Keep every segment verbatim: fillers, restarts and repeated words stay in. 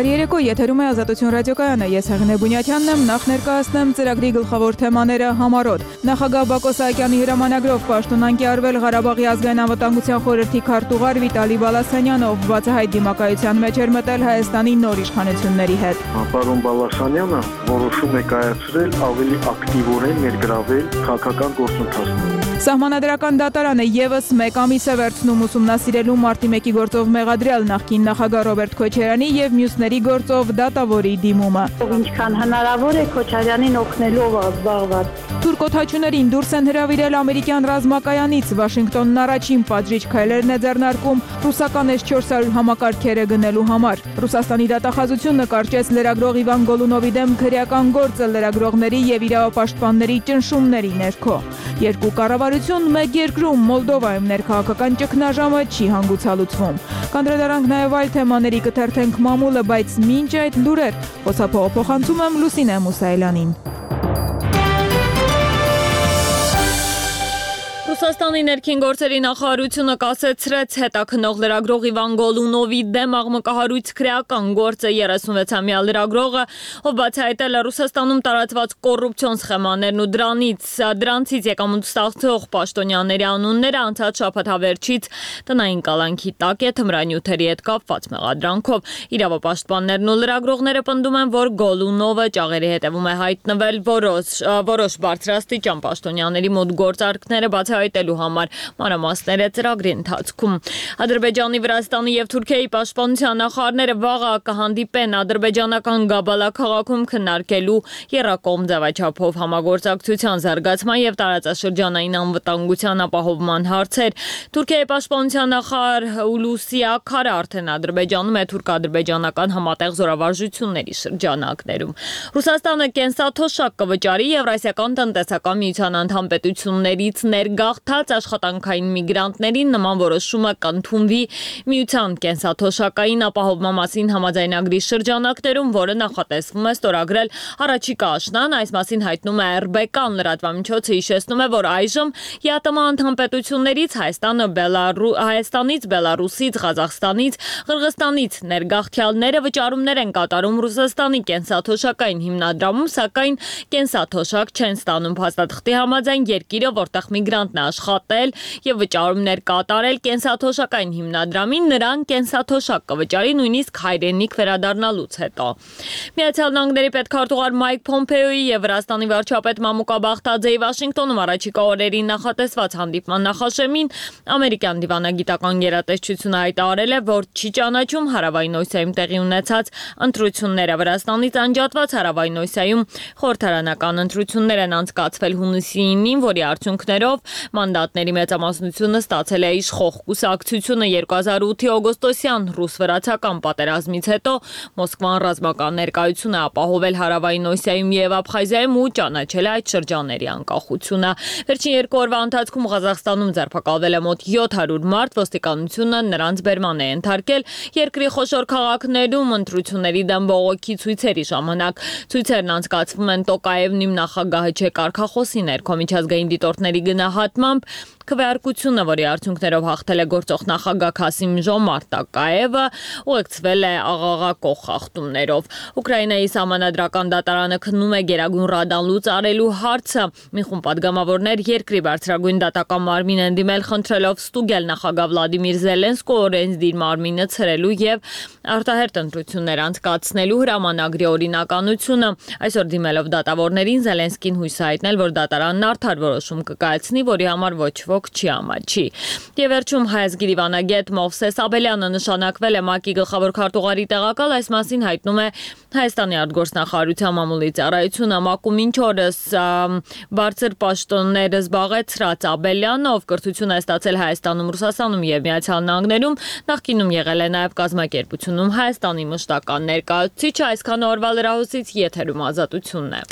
Բարի երեկո, եթերում է Ազատություն ռադիոկայանը, ես Հեղինե Բունյաթյանն եմ, նախ ներկայացնեմ ծրագրի գլխավոր թեմաները համառոտ։ Նախագահ Բակո Սահակյանի հրամանագրով պաշտոնանկ է արվել Ղարաբաղի ազգային անվտանգության խորհրդի քարտուղար Վիտալի Բալասանյանով, բացահայտ դիմակայության մեջ էր մտել Հայաստանի նոր իշխանությունների հետ։ Պարոն Բալասանյանը որոշում է կայացրել ավելի ակտիվորեն ներգրավել քաղաքական գործընթացներում։ Սահմանադրական դատարանը եւս մեկ ամիս է վերցնում ուսումնասիրելու մարտի մեկի գործով մեղադրյալ նախկին նախագահ Ռոբերտ Քոչարյանի եւ մյուսների գործով դատավորի դիմումը։ Ինչքան հնարավոր է Քոչարյանին օգնելով զբաղված։ Թուրք-օդաչուներին դուրս են հրավիրել ամերիկյան ռազմակայանից, Վաշինգտոնն առաջին պատժիչ քայլերն է ձեռնարկում ռուսական էս չորս հարյուր համակարգերը գնելու համար։ Ռուսաստանի դատախազությունը կարճեց լրագրող Իվան Գոլունովի դեմ քրեական գործը լրագրողների եւ իրավապաշտպանների ճնշումների ներքո։ Երկու կառավարություն մեկ երկրում Մոլդովայում ներքաղաքական ճգնաժամը չի հանգուցալուծվում։ Կանդրադառնանք նաև այլ թեմաների, կթերթենք մամուլը, բայց մինչ այդ լուրեր, խոսափողը փոխանցում եմ Լուսինե Մուսայելյանին։ Ռուսաստանի ներքին գործերի նախարարությունը կասեցրեց հետաքննող լրագրող Իվան Գոլունովի դեմ աղմկահարույց քրեական գործը երեսունվեցամյա լրագրողը, ով բացահայտել է Ռուսաստանում տարածված կոռուպցիոն սխեմաներն ու դրանից դրանցից եկամուտ ստացող պաշտոնյաների անունները անցած շաբաթ հավերչից տնային կալանքի տակ է թմրանյութերի հետ կապված մեղադրանքով։ Իրավապաշտպաններն ու լրագրողները պնդում են, որ Գոլունովը ճաղերի հետևում է հայտնվել որոշ որոշ բարձրաստիճան պաշտոնյաների մոտ գործարքները բացահայտելու համար մանրամասները ծրագրի ընթացքում։ Ադրբեջանի, Վրաստանի եւ Թուրքիայի պաշտպանության նախարարները վաղը կհանդիպեն ադրբեջանական Գաբալա քաղաքում քննարկելու եռակողմ ձևաչափով համագործակցության զարգացման եւ տարածաշրջանային անվտանգության ապահովման հարցեր։ Թուրքիայի պաշտպանության նախարար Հուլուսի Աքարը արդեն Ադրբեջանում է թուրք-ադրբեջանական համատեղ զորավարժությունների շրջանակներում։ Ռուսաստանը կենսաթոշակ կվճարի Եվրասիական տնտեսական միության անդամ պետություններից ներգաղթած աշխատանքային միգրանտներին նման որոշումը կընդունվի միության կենսաթոշակային ապահովման մասին համաձայնագրի շրջանակներում, որը նախատեսվում է ստորագրել առաջիկա աշնան, այս մասին հայտնում է эр բե կան լրատվամիջոցը հիշեցնում է, որ այժմ ԵԱՏՄ անդամ պետություններից Հայաստանը, Բելարու, Հայաստանից, Բելարուսից, Ղազախստանից, Ղրղստանից ներգաղթյալները վճարումներ են կատարում Ռուսաստանի կենսաթոշակային հիմնադրամում, սակայն կենսաթոշակ չեն ստանում փաստաթղթի համաձայն երկիրը, որտեղ միգրանտն է աշխատել եւ վճարումներ կատարել կենսաթոշակային հիմնադրամին, նրան կենսաթոշակ կվճարի նույնիսկ հայրենիք վերադառնալուց հետո։ Միացյալ Նահանգների պետքարտուղար Մայք Փոմպեոյի եւ Վրաստանի վարչապետ Մամուկա Բախտաձեի Վաշինգտոնում առաջիկա օրերին նախատեսված հանդիպման նախաշեմին ամերիկյան դիվանագիտական գերատեսչությունը հայտարարել է, որ չի ճանաչում Հարավային Օսիայում տեղի ունեցած ընտրությունները։ Վրաստանից անջատված Հարավային Օսիայում խորհրդարանական ընտրություններ են անցկացվել հունիսի ինին, որի արդյունքներով մանդատների մեծամասնությունը ստացել է իշխող կուսակցությունը երկու հազար ութի օգոստոսյան ռուս-վրացական պատերազմից հետո Մոսկվան ռազմական ներկայություն է ապահովել Հարավային Օսիայում եւ Աբխազիայում ու ճանաչել է այդ շրջանների անկախությունը։ Վերջին երկու օրվա ընթացքում Ղազախստանում ձերբակալվել է մոտ յոթ հարյուր մարդ, ոստիկանությունը նրանց բերման է ենթարկել երկրի խոշոր քաղաքներում ընտրությունների դեմ բողոքի ցույցերի ժամանակ։ Ցույցերն անցկացվում են Տոկաևնիմ նախագահը չէ կարգախոսի ներքո միջազգային դիտորդների գնահատմամբ քվեարկությունը, որի արդյունքներով հաղթել է գործող նախագահ Քասիմ Ժոմարտ Տոկաևը, ուղեկցվել է աղաղակող խախտումներով։ Ուկրաինայի սահմանադրական դատարանը քննում է Գերագույն Ռադան լուծարելու հարցը։ Մի խումբ պատգամավորներ երկրի բարձրագույն դատական մարմին են դիմել խնդրելով ստուգել նախագահ Վլադիմիր Զելենսկու օրենսդիր մարմինը ցրելու եւ արտահերթ ընտրություններ անցկացնելու հրամանագրի օրինականությունը։ Այսօր դիմելով դատավորներին Զելենսկին հույս հայտնել, որ դատարանն արդար որոշում կկայացնի, որի համար ոչ ոք չի ամաչի։ Եվ վերջում հայազգի դիվանագետ Մովսես Աբելյանը նշանակվել է ՄԱԿ-ի գլխավոր քարտուղարի տեղակալ, այս մասին հայտնում է Հայաստանի արտգործնախարարության մամուլի ծառայությունը։ ՄԱԿ-ում մինչ օրս բարձր պաշտոններ զբաղեցրած Աբելյանը, ով կրթություն է ստացել Հայաստանում, Ռուսաստանում եւ Միացյալ Նահանգներում, նախկինում եղել է նաեւ կազմակերպությունում Հայաստանի մշտական ներկայացուցիչը։ Այսքան օրվա լրահոսից եթերում Ազատությունն է։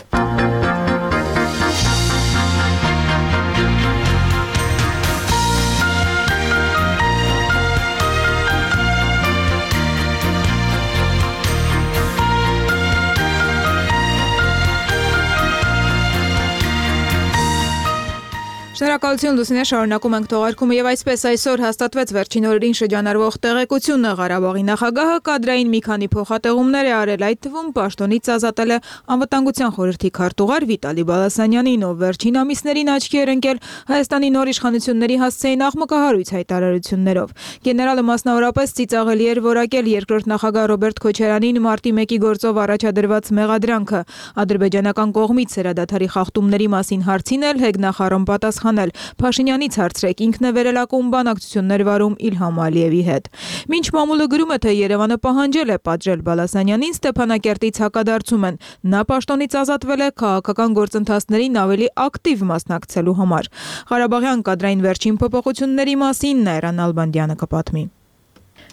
Շնորհակալություն Լուսինե, շարունակում ենք թողարկումը եւ այսպես այսօր հաստատվեց վերջին օրերին շրջանառվող տեղեկությունը Ղարաբաղի նախագահը կադրային մի քանի փոխատեղումներ է արել, այդ թվում պաշտոնից ազատել է անվտանգության խորհրդի քարտուղար Վիտալի Բալասանյանին, ով վերջին ամիսներին աչքի էր ընկել Հայաստանի նոր իշխանությունների հասցեին աղմկահարույց հայտարարություններով։ Գեներալը մասնավորապես ծիծաղելի էր որակել երկրորդ նախագահ Ռոբերտ Քոչարյանին մարտի մեկի գործով առաջադրված մեղադրանքը ադրբեջանական կողմից սերադադարի խախտումների մասին հարցին էլ հեգնախառն պատասխանել։ Փաշինյանից հարցրեք, ինքն է վերելակում բանակցություններ վարում Իլհամ Ալիևի հետ։ Մինչ մամուլը գրում է, թե Երևանը պահանջել է պատժել Բալասանյանին, Ստեփանակերտից հակադարձում են։ Նա պաշտոնից ազատվել է քաղաքական գործընթացներին ավելի ակտիվ մասնակցելու համար։ Ղարաբաղյան կադրային վերջին փոփոխությունների մասին Նայրան Ալբանդյանը կպատմի։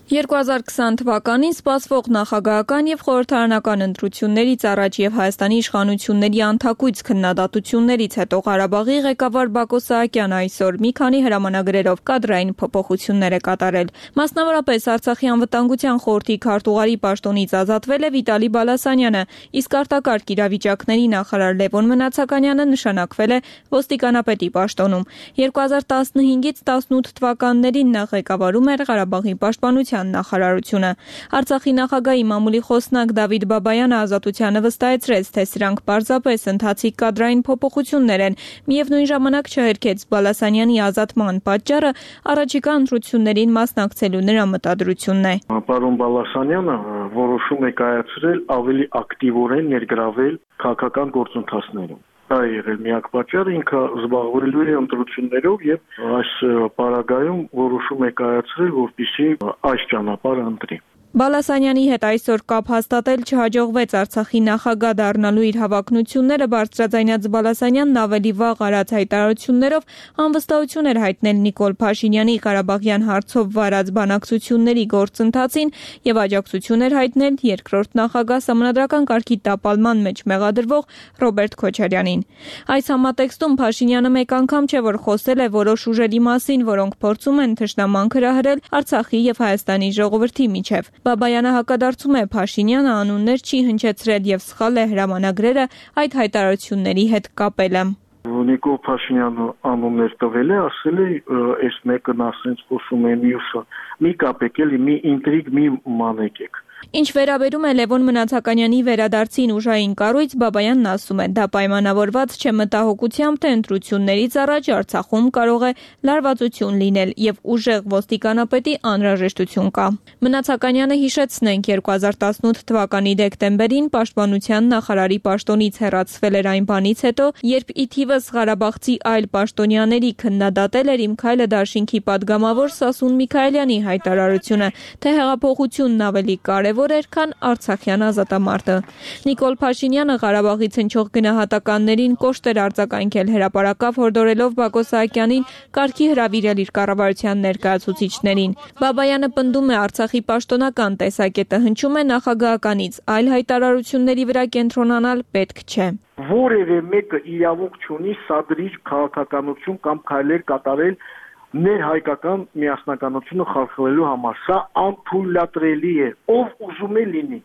երկու հազար քսան թվականին սպասվող նախագահական եւ խորհրդարանական ընտրություններից առաջ եւ Հայաստանի իշխանությունների անթակույց քննադատություններից հետո Ղարաբաղի ղեկավար Բակո Սահակյանը այսօր մի քանի հրամանագրերով կադրային փոփոխություններ է կատարել։ Մասնավորապես Արցախի անվտանգության խորհրդի քարտուղարի պաշտոնից ազատվել է Վիտալի Բալասանյանը, իսկ արտակարգ իրավիճակների նախարար Լևոն Մնացականյանը նշանակվել է ոստիկանապետի պաշտոնում։ երկու հազար տասնհինգից տասնութ թվականներին նա ղեկավարում էր Ղարաբաղի պաշտպանության նախարարությունը։ Արցախի նախագահի մամուլի խոսնակ Դավիթ Բաբայանը ազատությանը վստահեցրեց, թե սրանք պարզապես ընթացիկ կադրային փոփոխություններ են, միևնույն ժամանակ չհերքեց Բալասանյանի ազատման պատճառը առաջիկա ընտրություններին մասնակցելու նրա մտադրությունն է։ Պարոն Բալասանյանը որոշում է կայացրել ավելի ակտիվորեն ներգրավել քաղաքական գործընթացներում։ Դա եղել միակ պատճառը, ինքը զբաղվելու է ընտրություններով եւ այս պարագայում որոշում է կայացրել, որպեսզի այս ճանապարհը ընտրի։ Բալասանյանի հետ այսօր կապ հաստատել չհաջողվեց Արցախի նախագահ դառնալու իր հավակնությունները բարձրաձայնած Բալասանյանն ավելի վաղ արած հայտարարություններով անվստահություն էր հայտնել Նիկոլ Փաշինյանի Ղարաբաղյան հարցով վարած բանակցությունների գործընթացին եւ աջակցություն էր հայտնել երկրորդ նախագահ Սահմանադրական կարգի տապալման մեջ մեղադրվող Ռոբերտ Քոչարյանին։ Այս համատեքստում Փաշինյանը մեկ անգամ չէ որ խոսել է որոշ ուժերի մասին, որոնք փորձում են թշնամանք հրահրել Արցախի եւ Հայաստանի ժողովրդի միջև։ Բաբայանը հակադարձում է Փաշինյանը անուններ չի հնչեցրել եւ սխալ է հրամանագրերը այդ հայտարարությունների հետ կապելը։ Նիկոլ Փաշինյանը անուններ տվել է, ասել է, այս մեկն ասենց խոսում է մյուսը։ Մի կապեք էլի, մի ինտրիգ մի մանեկեք։ Ինչ վերաբերում է Լևոն Մնացականյանի վերադարձին ուժային կառույց, Բաբայանն ասում է, դա պայմանավորված չէ մտահոգությամբ, թե ընտրություններից առաջ Արցախում կարող է լարվածություն լինել եւ ուժեղ ոստիկանապետի անհրաժեշտություն կա։ Մնացականյանը հիշեցնենք երկու հազար տասնութ թվականի դեկտեմբերին պաշտպանության նախարարի պաշտոնից հեռացվել էր այն բանից հետո, երբ ի թիվս Ղարաբաղցի այլ պաշտոնյաների քննադատել էր Իմ Քայլը դաշինքի падգամավոր Սասուն Միքայելյանի հայտարարությունը, թե հեղափոխությունն ավելի կարևոր էր, քան Արցախյան ազատամարտը։ Նիկոլ Փաշինյանը Ղարաբաղից հնչող գնահատականներին կոշտ էր արձագանքել, հրապարակավ հորդորելով Բակո Սահակյանին կարգի հրավիրել իր կառավարության ներկայացուցիչներին։ Բաբայանը պնդում է Արցախի պաշտոնական տեսակետը հնչում է նախագահականից, այլ հայտարարությունների վրա կենտրոնանալ պետք չէ։ Որևէ մեկը իրավունք չունի սադրիչ քաղաքականություն կամ քայլեր կատարել ներհայկական միասնականությունը խախտելու համար։ Սա անթույլատրելի է, ով ուզում է լինի։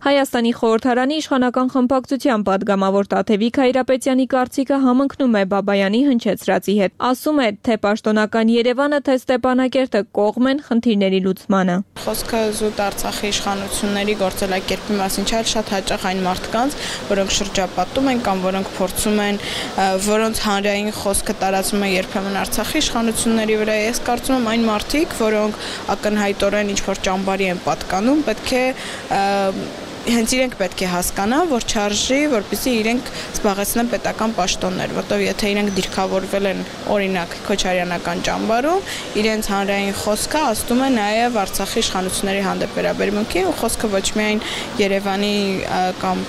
Հայաստանի խորհրդարանի իշխանական խմբակցության падգամավոր Տաթևիկ Հայրապետյանի կարծիքը համընկնում է Բաբայանի հնչեցրածի հետ։ Ասում է, թե պաշտոնական Երևանը, թե Ստեփանակերտը կողմ են խնդիրների լուծմանը։ Խոսքը զուտ Արցախի իշխանությունների գործելակերպի մասին չէ, շատ հաճախ այն մարդկանց, որոնք շրջապատում են կամ որոնք փորձում են, որոնց հանրային խոսքը տարածվում է երբեմն Արցախի իշխանությունների վրա։ Ես կարծում եմ այն մարդիկ, որոնք ակնհայտորեն ինչ-որ ճամբարի են պատկանում, պետք է հենց իրենք պետք է հասկանան, որ չարժի, որպեսզի իրենք զբաղեցնեն պետական պաշտոններ, որտեղ եթե իրենք դիրքավորվել են օրինակ Քոչարյանական ճամբարում, իրենց հանրային խոսքը ասում է նաև Արցախի իշխանությունների հանդեպ վերաբերմունքի, ու խոսքը ոչ միայն Երևանի կամ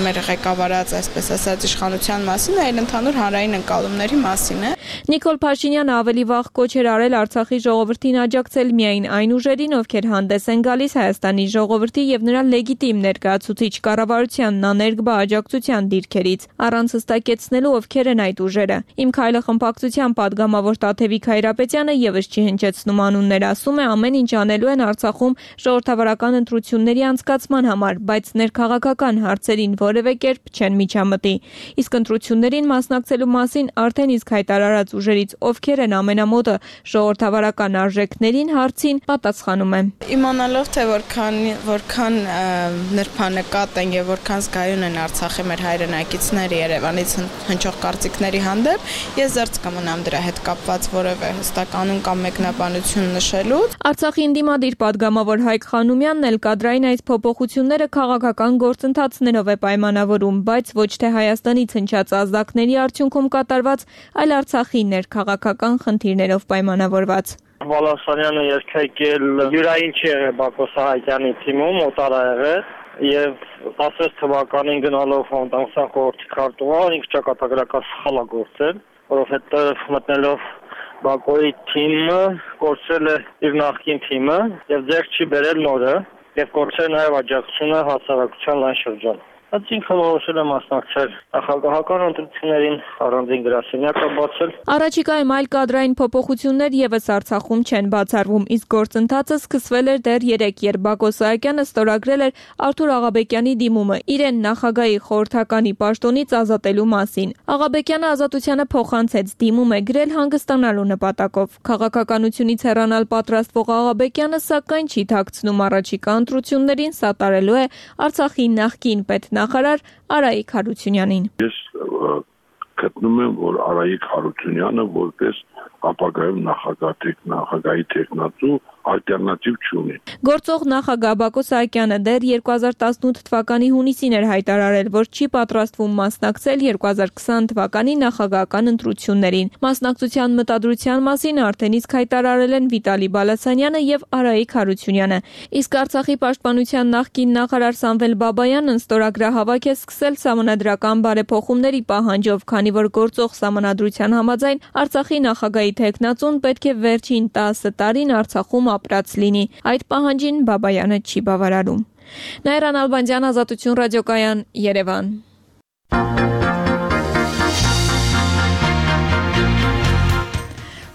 մեր ղեկավարած, այսպես ասած, իշխանության մասին, այլ ընդհանուր հանրային ընկալումների մասին է։ Նիկոլ Փաշինյանը ավելի վաղ կոչ էր արել Արցախի ժողովրդին աջակցել միայն այն ուժերին, ովքեր հանդես են գալիս Հայաստանի ժողովրդի եւ նրա լեգիտիմ ներկայացուցիչների ներկայացուցիչ կառավարությանն աներկբա աջակցության դիրքերից, առանց հստակեցնելու ովքեր են այդ ուժերը։ Իմ քայլը խմբակցության պատգամավոր Տաթևիկ Հայրապետյանը եւս չի հնչեցնում անուններ, ասում է ամեն ինչ անելու են Արցախում ժողովրդավարական ընտրությունների անցկացման համար, բայց ներքաղաքական հարցերին որևէ կերպ չեն միջամտի։ Իսկ ընտրություններին մասնակցելու մասին արդեն իսկ հայտարարած ուժերից ովքեր են ամենամոտը ժողովրդավարական արժեքներին հարցին պատասխանում է։ Իմանալով թե որքան որքան նրբանկատ են եւ որքան զգայուն են Արցախի մեր հայրենակիցները Երևանից հնչող կարծիքների հանդեպ, ես զերծ կմնամ դրա հետ կապված որևէ հստակ անուն կամ մեկնաբանություն նշելուց։ Արցախի ինդիմադիր պատգամավոր Հայկ Խանոմյանն էլ կադրային այս փոփոխությունները քաղաքական գործընթացներով է պայմանավորում, բայց ոչ թե Հայաստանից հնչած ազդակների արդյունքում կատարված, այլ Արցախի ներքաղաքական խնդիրներով պայմանավորված։ Վալասանյանը երգեկել յուրային չի եղել Բակո Սահակյանի թիմում, օտար ա եղել եւ տասնվեց թվականին գնալով անտանսան խորհրդի քարտուղար ինքը ճակատագրական սխալ ա գործել, որովհետեւ մտնելով Բակոյի թիմը կորցրել է իր նախկին թիմը եւ ձեռք չի բերել նորը եւ կորցրել նաեւ աջակցությունը հասարակության լայն շրջան։ Այդ ինքը որոշել է մասնակցել նախագահական ընտրություններին, առանձին գրասենյակ է բացել։ Առաջիկայում այլ կադրային փոփոխություններ եւս Արցախում չեն բացառվում, իսկ գործընթացը սկսվել էր դեռ երեկ, երբ Բակո Սահակյանը ստորագրել էր Արթուր Աղաբեկյանի դիմումը իրեն նախագահի խորհրդականի պաշտոնից ազատելու մասին։ Աղաբեկյանը ազատությանը փոխանցեց, դիմում է գրել հանգստանալու նպատակով։ Քաղաքականությունից հեռանալ պատրաստվող Աղաբեկյանը սակայն չի թաքցնում առաջիկա ընտրություններին սատարելու է Արցախի նախկին պետնախարար Արայիկ Հարությունյանին։ Ես գտնում եմ, որ Արայիկ Հարությունյանը որպես ապագայում նախագահ նախագահի տեխնացու ալտերնատիվ չունի։ Գործող նախագահ Բակո Սահակյանը դեռ երկու հազար տասնութ թվականի հունիսին էր հայտարարել, որ չի պատրաստվում մասնակցել երկու հազար քսան թվականի նախագահական ընտրություններին։ Մասնակցության մտադրության մասին արդեն իսկ հայտարարել են Վիտալի Բալասանյանը եւ Արայիկ Հարությունյանը։ Իսկ Արցախի պաշտպանության նախկին նախարար Սամվել Բաբայանն ստորագրահավաք է սկսել սահմանադրական բարեփոխումների պահանջով, քանի որ գործող սահմանադրության համաձայն Արցախի նախագահի տեխնացուն պետք է վերջին տասը տարին Արցախում ապրած լինի։ Այդ պահանջին Բաբայանը չի բավարարում։ Նաիրա Նալբանդյան, Ազատություն ռադիոկայան, Երևան։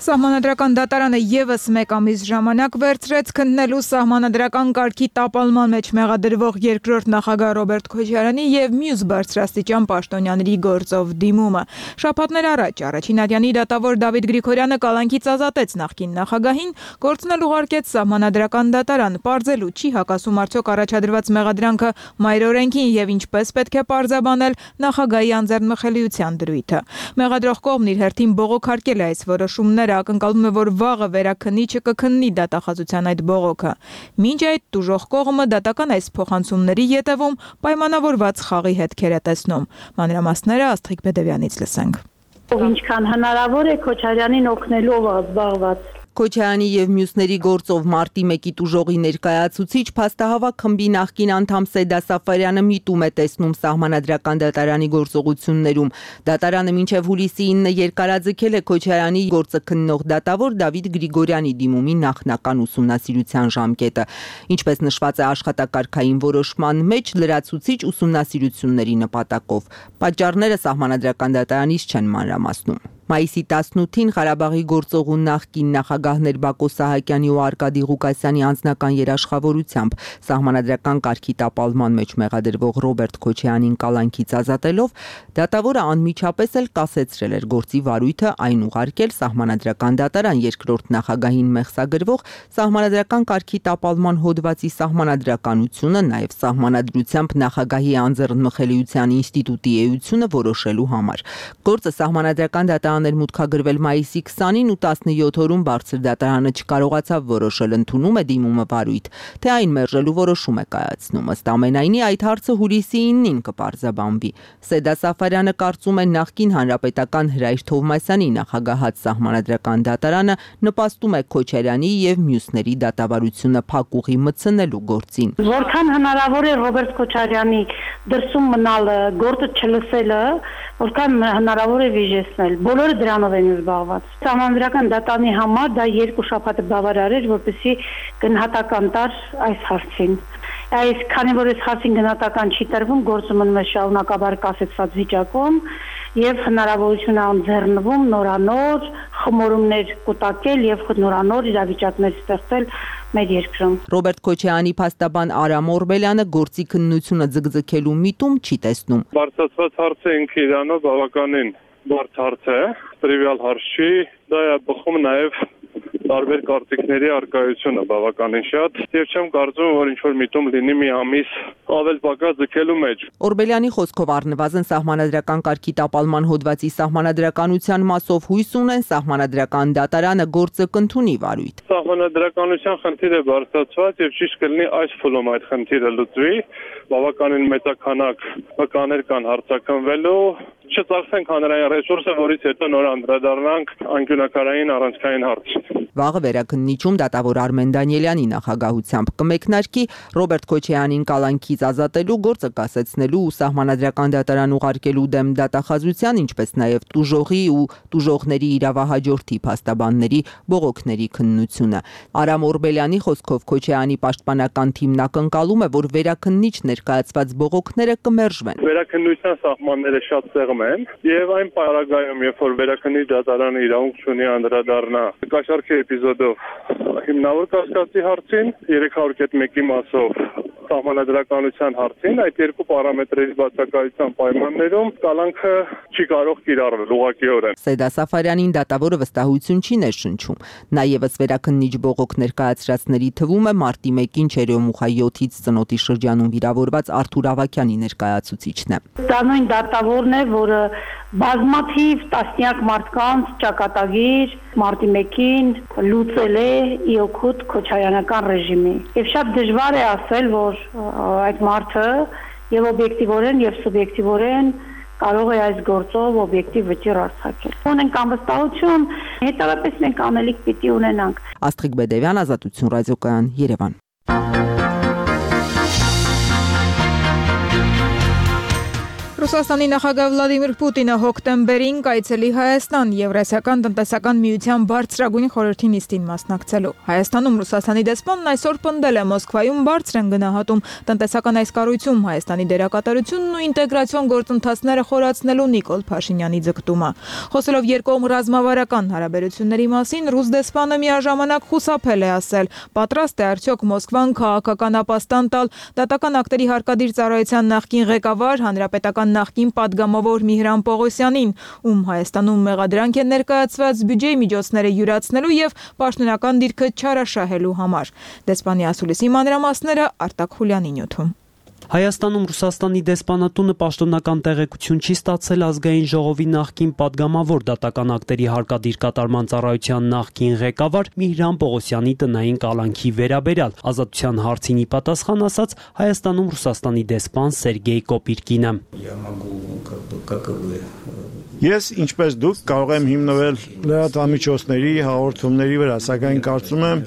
Սահմանադրական դատարանը եւս մեկ ամիս ժամանակ վերցրեց քննելու սահմանադրական կարգի տապալման մեջ մեղադրվող երկրորդ նախագահ Ռոբերտ Քոչարյանի եւ մյուս բարձրաստիճան պաշտոնյաների գործով դիմումը։ Շաբաթներ առաջ Առաջինատյանի դատավոր Դավիթ Գրիգորյանը կալանքից ազատեց նախկին նախագահին, գործնել ուղարկեց սահմանադրական դատարան, պարզելու չի հակասում արդյոք առաջադրված մեղադրանքը մայրօրենքին եւ ինչպես պետք է պարզաբանել նախագահի անձեռնմխելիության դրույթը։ Մեղադրող կողմն իր հերթին բողոքարկել է այս որոշումները, ակնկալում է, որ վաղը վերաքննիչը կքննի դատախազության այդ բողոքը։ Մինչ այդ տուժող կողմը դատական այս փոխանցումների ետևում պայմանավորված խաղի հետքեր է տեսնում։ Մանրամասները Աստղիկ Բեդևյանից լսենք։ Ինչքան հնարավոր է Քոչարյանին օգնելով զբաղված։ Քոչարյանի եւ մյուսների գործով մարտի մեկի տուժողի ներկայացուցիչ փաստահավաք խմբի նախկին անդամ Սեդա Սաֆարյանը միտում է տեսնում սահմանադրական դատարանի գործողություններում։ Դատարանը մինչև հուլիսի ինը երկարաձգել է Քոչարյանի գործը քննող դատավոր Դավիթ Գրիգորյանի դիմումի նախնական ուսումնասիրության ժամկետը։ Ինչպես նշված է աշխատակարգային որոշման մեջ, լրացուցիչ ուսումնասիրությունների նպատակով։ Պատճառները սահմանադրական դատարանից չեն մանրամասնում։ Մայիսի տասնութին Ղարաբաղի գործողու նախկին նախագահներ Բակո Սահակյանի ու Արկադի Ղուկասյանի անձնական երաշխավորությամբ սահմանադրական կարգի տապալման մեջ մեղադրվող Ռոբերտ Քոչարյանին կալանքից ազատելով, դատավորը անմիջապես էլ կասեցրել էր գործի վարույթը, այն ուղարկել սահմանադրական դատարան երկրորդ նախագահին մեղսագրվող սահմանադրական կարգի տապալման հոդվածի սահմանադրականությունը, նաև սահմանադրությամբ նախագահի անձեռնմխելիության ինստիտուտի էությունը որոշելու համար։ Գործը սահմանադրական դատարան մուտքագրվել մայիսի քսանին ու տասնյոթ օրում բարձր դատարանը չկարողացավ որոշել, ընդունում է դիմումը վարույթ, թե այն մերժելու որոշում է կայացնում։ Ըստ ամենայնի այդ հարցը հուլիսի ինին կպարզաբանվի։ Սեդա Սաֆարյանը կարծում է նախկին հանրապետական Հրայր Թովմասյանի նախագահած սահմանադրական դատարանը նպաստում է Քոչարյանի եւ մյուսների դատավարությունը փակուղի մտցնելու գործին։ Որքան հնարավոր է Ռոբերտ Քոչարյանի դրսում մնալը, գործը չլսելը, որքան հնարավոր է վիժեցնել։ Բոլորը դրանով են զբաղված։ Սահմանադրական դատարանի համար դա երկու շաբաթը բավարար էր, որպեսզի գնահատական տար այս հարցին։ Այս քանի որ այս հարցին գնահատական չի տրվում, գործը մնում է շարունակաբար կասեցված վիճակում եւ հնարավորություն է ընձեռնվում նորանոր խմորումներ կուտակել եւ նորանոր իրավիճակներ ստեղծել մեր երկրում։ Ռոբերտ Քոչարյանի փաստաբան Արամ Օրբելյանը գործի քննությունը ձգձգելու միտում չի տեսնում։ Բարձրացված հարցը ինքը իրանով բավականին բարդ հարց է, տրիվիալ հարց չի, դա է բխում նաեւ տարբեր կարծիքների արկայությունը բավականին շատ եւ չեմ կարծում որ ինչ որ միտում լինի մի ամիս ավել պակաս ձգելու մեջ։ Օրբելյանի խոսքով առնվազն սահմանադրական կարգի տապալման հոդվածի սահմանադրականության մասով հույս ունեն սահմանադրական դատարանը գործը կընդունի վարույթ։ Սահմանադրականության խնդիրը բարձրացված եւ ճիշտ կլինի այս փուլում այդ խնդիրը լուծվի, բավականին մեծականակ վկաներ կան հարցակնվելու, չծախսենք հանրային ռեսուրսը, որից հետո նոր անդրադառնանք անկյունակարային առանցքային հարցին։ Վաղը վերաքննիչում դատավոր Արմեն Դանիելյանի նախագահությամբ կմեկնարկի Ռոբերտ Քոչարյանին կալանքից ազատելու, գործը կասեցնելու ու սահմանադրական դատարան ուղարկելու դեմ դատախազության, ինչպես նաև տուժողի ու տուժողների իրավահաջորդի փաստաբանների բողոքների քննությունը։ Արամ Օրբելյանի խոսքով Քոչարյանի պաշտպանական թիմն ակնկալում է, որ վերաքննիչ ներկայացված բողոքները կմերժվեն։ Վերաքննության սահմանները շատ ծեղմ են եւ այն պարագայում, երբ որ վերաքննիչ դատարանը իրավունք ունի անդրադառնա կաշառքի էպիզոդով հիմնավոր կասկածի հարցին, երեք հարյուր մեկի մասով սահմանադրականության հարցին, այդ երկու պարամետրերի բացակայության պայմաններում կալանքը չի կարող կիրառվել ուղղակիորեն։ Սեդա Սաֆարյանին դատավորը վստահություն չի ներշնչում։ Նա եւս վերաքննիչ բողոք ներկայացրածների թվում է մարտի մեկին Չերյոմուխա յոթից ծնոտի շրջանում վիրավորված Արթուր Ավագյանի ներկայացուցիչն է։ Դա նույն դատավորն է, որը բազմաթիվ տասնյակ մարդկանց ճակատագիր մարտի մեկին լուծել է իօքուտ քոչարյանական ռեժիմի։ Եվ շատ դժվար է ասել, որ այդ մարդը եւ օբյեկտիվորեն եւ սուբյեկտիվորեն կարող է այս գործով օբյեկտիվ վճիռ արձակել։ Ունենք անվստահություն, հետևաբար մենք անելիք պիտի ունենանք։ Աստղիկ Բեդևյան, Ազատություն ռադիոկայան, Երևան։ Ռուսաստանի նախագահ Վլադիմիր Պուտինը հոկտեմբերին կայցելի Հայաստան Եվրասիական տնտեսական միության բարձրագույն խորհրդի նիստին մասնակցելու։ Հայաստանում Ռուսաստանի դեսպանն այսօր պնդել է Մոսկվայում բարձր են գնահատում տնտեսական այս կառույցում Հայաստանի դերակատարությունն ու ինտեգրացիոն գործընթացները խորացնելու Նիկոլ Փաշինյանի ձգտումը։ Խոսելով երկկողմ ռազմավարական հարաբերությունների մասին, ռուս դեսպանը միաժամանակ խուսափել է ասել, պատրաստ է արդյոք Մոսկվան քաղաքական ապաստան տալ դատական ակտերի հարկադիր ծառայության նախկին ղեկավար հանրապետական նախկին պատգամավոր Միհրան Պողոսյանին, ում Հայաստանում մեղադրանք են ներկայացված բյուջեի միջոցները յուրացնելու եւ պաշտոնական դիրքը չարաշահելու համար։ Դեսպանի ասուլիսի մանրամասները Արտակ Խուլյանի նյութում։ Հայաստանում Ռուսաստանի դեսպանատունը պաշտոնական տեղեկություն չի ստացել ազգային ժողովի նախկին падգամավոր դատական ակտերի հարկադիր կատարման ծառայության նախկին ղեկավար Միհրան Պողոսյանի տնային կալանքի վերաբերյալ։ Ազատության հարցին ի պատասխան ասաց Հայաստանում Ռուսաստանի դեսպան Սերգեյ Կոպիրկինը։ Ես, ինչպես դուք, կարող եմ հիմնվել լրատվամիջոցների հաղորդումների վրա, սակայն կարծում եմ,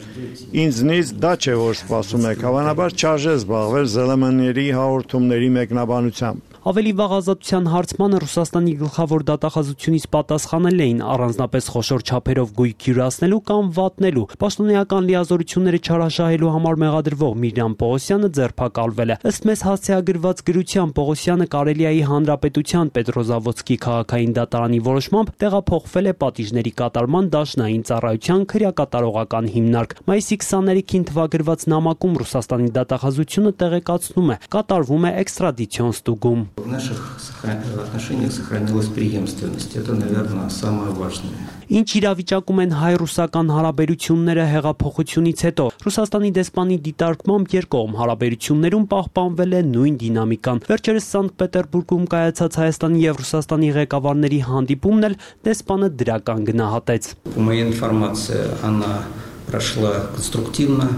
ինձնից դա չէ, որ սպասում եք, հավանաբար չարժե զբաղվել ԶԼՄ-ների հաղորդումների մեկնաբանությամբ։ Ավելի վաղ ազատության հարցմանը Ռուսաստանի գլխավոր դատախազությունից պատասխանել էին առանձնապես խոշոր չափերով գույք յուրացնելու կամ վատնելու։ Պաշտոնեական լիազորությունները չարաշահելու համար մեղադրվող Միհրան Պողոսյանը ձերբակալվել է։ Ըստ մեզ հասցեագրված գրության Պողոսյանը Կարելիայի Հանրապետության Պետրոզավոդսկի քաղաքային դատարանի որոշմամբ տեղափոխվել է պատիժների կատարման դաշնային ծառայության քրեակատարողական հիմնարկ։ Մայիսի քսաներեքին թվագրված նամակում Ռուսաստանի դատախազությունը տեղեկացնում է, կատարվում է էքստրադիցիոն ստուգում։ В наших отношениях сохранилась преемственность. Это, наверное, самое важное. Ինչ իրավիճակում են հայ-ռուսական հարաբերությունները հեղափոխությունից հետո։ Ռուսաստանի դեսպանի դիտարկմամբ երկկողմ հարաբերություններում պահպանվել է նույն դինամիկան։ Վերջերս Սանկտ Պետերբուրգում կայացած Հայաստանի եւ Ռուսաստանի ղեկավարների հանդիպումն էլ դեսպանը դրական գնահատեց։ Моя информация, она прошла конструктивно.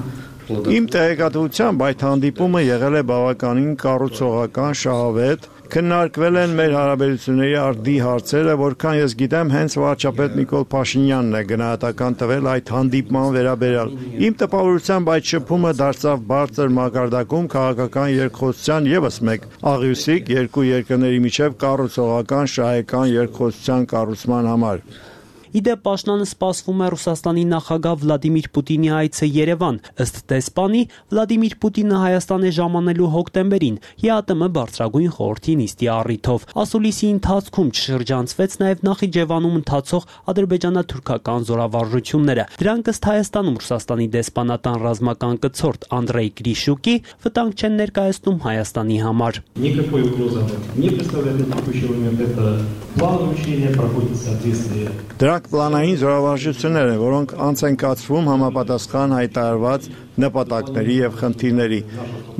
Իմ տեղեկատվությամբ այդ հանդիպումը եղել է բավականին կառուցողական, շահավետ, քննարկվել են մեր հարաբերությունների արդի հարցերը, որքան ես գիտեմ, հենց վարչապետ Նիկոլ Փաշինյանն է գնահատական տվել այդ հանդիպման վերաբերյալ։ Իմ տպավորությամբ այդ շփումը դարձավ բարձր մակարդակում քաղաքական երկխոսության ևս մեկ աղյուսիկ երկու երկրների միջև կառուցողական, շահեկան երկխոսության կառուցման համար։ Իդեպ Պաշտոնը սպասվում է Ռուսաստանի նախագահ Վլադիմիր Պուտինի այցը Երևան։ Ըստ դեսպանի, Վլադիմիր Պուտինը Հայաստան է ժամանելու հոկտեմբերին ԵԱՏՄ բարձրագույն խորհրդի նիստի առիթով։ Ասուլիսի ընթացքում չշրջանցվեց նաև Նախիջևանում ընթացող ադրբեջանա-թուրքական զորավարժությունները։ Դրանք ըստ Հայաստանում Ռուսաստանի դեսպանատան ռազմական կցորդ Անդրեյ Գրիշուկի վտանգ չեն ներկայացնում Հայաստանի համար։ Никакой угрозы не представляет на текущий момент. Это плановое учение проходит в соответствии. Դրանք պլանային զորավարժություններ են, որոնք անց են կացվում համապատասխան հայտարարված նպատակների եւ խնդիրների։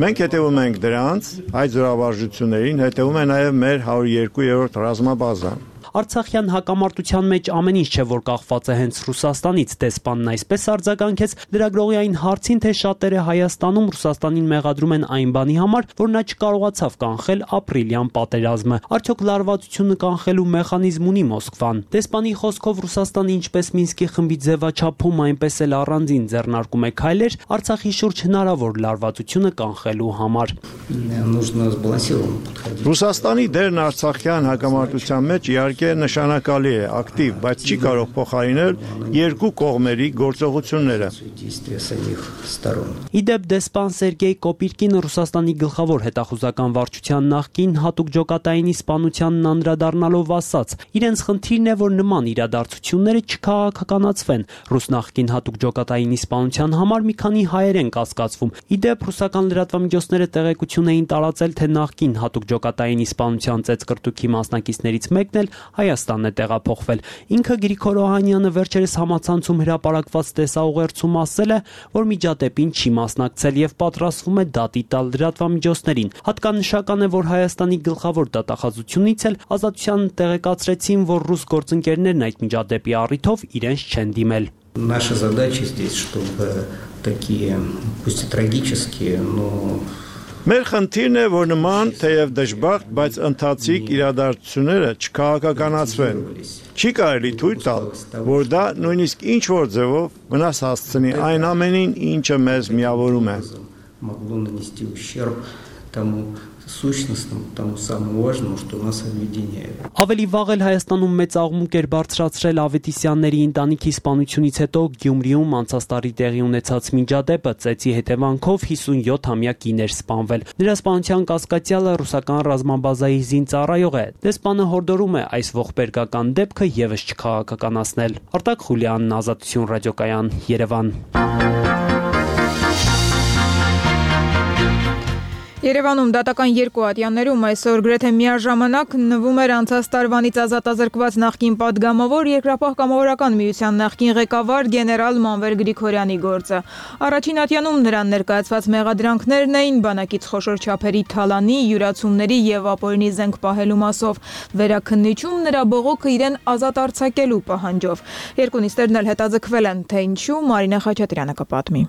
Մենք հետևում ենք դրանց, այդ զորավարժություններին հետևում է նաեւ մեր հարյուր երկու-րդ ռազմաբազան։ Արցախյան հակամարտության մեջ ամեն ինչ չէ, որ կախված է հենց Ռուսաստանից։ Դեսպանն այսպես արձագանքեց լրագրողի այն հարցին, թե շատերը Հայաստանում Ռուսաստանին մեղադրում են այն բանի համար, որ նա չկարողացավ կանխել ապրիլյան պատերազմը։ Արդյոք լարվածությունը կանխելու մեխանիզմ ունի Մոսկվան։ Դեսպանի խոսքով Ռուսաստանը ինչպես Մինսկի խմբի ձևաչափում, այնպես էլ առանձին ձեռնարկում է քայլեր Արցախի շուրջ հնարավոր լարվածությունը կանխելու համար։ Ռուսաստանի դերն արցախյան հակամարտության մեջ իհարկե նշանակալի է, ակտիվ, բայց չի կարող փոխարինել երկու կողմերի գործողությունները։ Իդեպ դեսպան Սերգեյ Կոպիրկինը Ռուսաստանի գլխավոր հետախուզական վարչության նախկին հատուկ ջոկատայինի սպանությանն անդրադառնալով ասաց. իրենց խնդիրն է, որ նման իրադարձությունները չքաղաքականացվեն։ Ռուս նախկին հատուկ ջոկատայինի սպանության համար մի քանի հայեր են կասկածվում։ Իդեպ ռուսական լրատվամիջոցները տեղեկություն էին տարածել, թե նախկին հատուկ ջոկատայինի սպանության ծեծկրտուքի մասնակիցներից մեկն էլ Հայաստանն է տեղափոխվել։ Ինքը Գրիգոր Օհանյանը վերջերս համացանցում հրապարակված տեսաուղերձում ասել է, որ միջադեպին չի մասնակցել եւ պատրաստվում է դատի տալ լրատվամիջոցներին։ Հատկանշական է, որ Հայաստանի գլխավոր դատախազությունից էլ Ազատության տեղեկացրեցին, որ ռուս գործընկերներն այդ միջադեպի առիթով իրենց չեն դիմել։ Наша задача здесь, чтобы такие, пусть и трагические, но Մեր խնդիրն է, որ նման թեև դժբախտ, բայց ընթացիկ իրադարձությունները չքաղաքականացվեն։ Չի կարելի թույլ տալ, որ դա նույնիսկ ինչ որ ձևով վնաս հասցնի այն ամենին, ինչը մեզ միավորում է։ Могло нанести ущерб тому сущностному, тому самому важному, что нас объединяет. Ավելի վաղ էլ Հայաստանում մեծ աղմուկ էր բարձրացրել Ավետիսյանների ընտանիքի սպանությունից հետո Գյումրիում անցած տարի տեղի ունեցած միջադեպը, ծեծի հետևանքով հիսունյոթամյա կին էր սպանվել։ Նրա սպանության կասկածյալը ռուսական ռազմաբազայի զինծառայող է։ Դեսպանը հորդորում է այս ողբերգական դեպքը եւս չքաղաքականացնել։ Արտակ Խուլյանն, Ազատություն ռադիոկայան, Երևան։ Երևանում դատական երկու ատյաններում այսօր գրեթե միաժամանակ նվում էր անցած տարվանից ազատազրկված նախկին падգամավոր Երկրապահ կամավորական միության նախկին ղեկավար գեներալ Մանվել Գրիգորյանի գործը։ Առաջին ատյանում նրան ներկայացված մեղադրանքներն էին բանակից խոշոր չափերի թալանի, յուրացումների եւ ապօրինի զենք պահելու մասով, վերաքննիչում նրա բողոքը իրեն ազատ արձակելու պահանջով։ Երկու նիստերն էլ հետաձգվել են, թե ինչու Մարինա Խաչատրյանը կպատմի։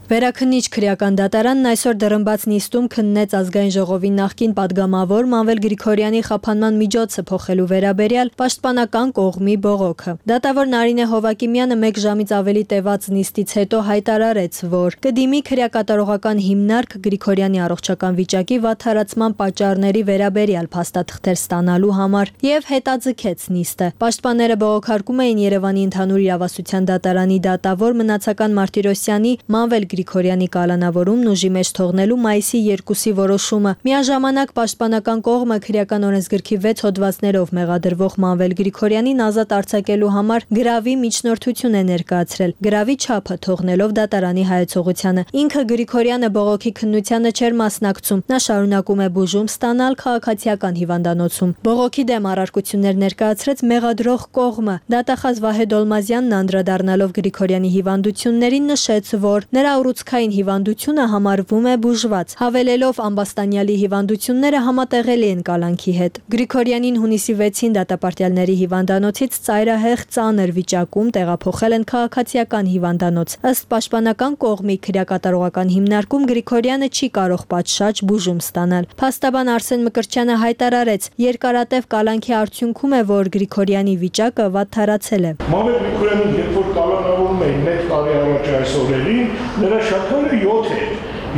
Վերաքննիչ քրեական դատարանն այսօր դրըմբաց նիստում քննեց ազգային ժողովի նախկին падգամավոր Մանվել Գրիգորյանի խափանման միջոցը փոխելու վերաբերյալ պաշտպանական կողմի բողոքը։ Դատավոր Նարինե Հովակիմյանը մեկ ժամից ավելի տևած նիստից հետո հայտարարեց, որ կդիմի քրեակատարողական հիմնարկ Գրիգորյանի առողջական վիճակի վատթարացման պատճառների վերաբերյալ փաստաթղթեր ստանալու համար եւ հետաձգեց նիստը։ Պաշտպանները բողոքարկում էին Երևանի ընդհանուր իրավասության դատարանի դատավոր Մնացական Մարտիրոսյանի Մանվել Գրիգորյանի կալանավորումն ուժի մեջ թողնելու մայիսի երկուսի որոշումը։ Միաժամանակ պաշտպանական կողմը քրեական օրենսգրքի վեց հոդվածներով մեղադրվող Մանվել Գրիգորյանին ազատ արձակելու համար գրավի միջնորդություն է ներկայացրել, գրավի չափը թողնելով դատարանի հայեցողությանը։ Ինքը Գրիգորյանը բողոքի քննությանը չէր մասնակցում։ Նա շարունակում է բուժում ստանալ քաղաքացիական հիվանդանոցում։ Բողոքի դեմ առարկություններ ներկայացրեց մեղադրող կողմը։ Դատախազ Վահե Դոլմազյանն անդրադառնալով Գրիգորյանի հիվանդություններին նշեց, որ նրա ուռուցքային հիվանդությունը համարվում է բուժված, հավելելով ամբաստանյալի հիվանդությունները համատեղելի են կալանքի հետ։ Գրիգորյանին հունիսի վեցին դատապարտյալների հիվանդանոցից ծայրահեղ ծանր վիճակում տեղափոխել են քաղաքացիական հիվանդանոց։ Ըստ պաշտպանական կողմի քրեակատարողական հիմնարկում Գրիգորյանը չի կարող պատշաճ բուժում ստանալ։ Փաստաբան Արսեն Մկրտչյանը հայտարարեց, երկարատև կալանքի արդյունքում է, որ Գրիգորյանի վիճակը վատթարացել է։ Մանվել Գրիգորյանին երբ որ կալանավորում էին մեկ տարի առաջ այս օրերին, նրա շաքարը յոթ էր,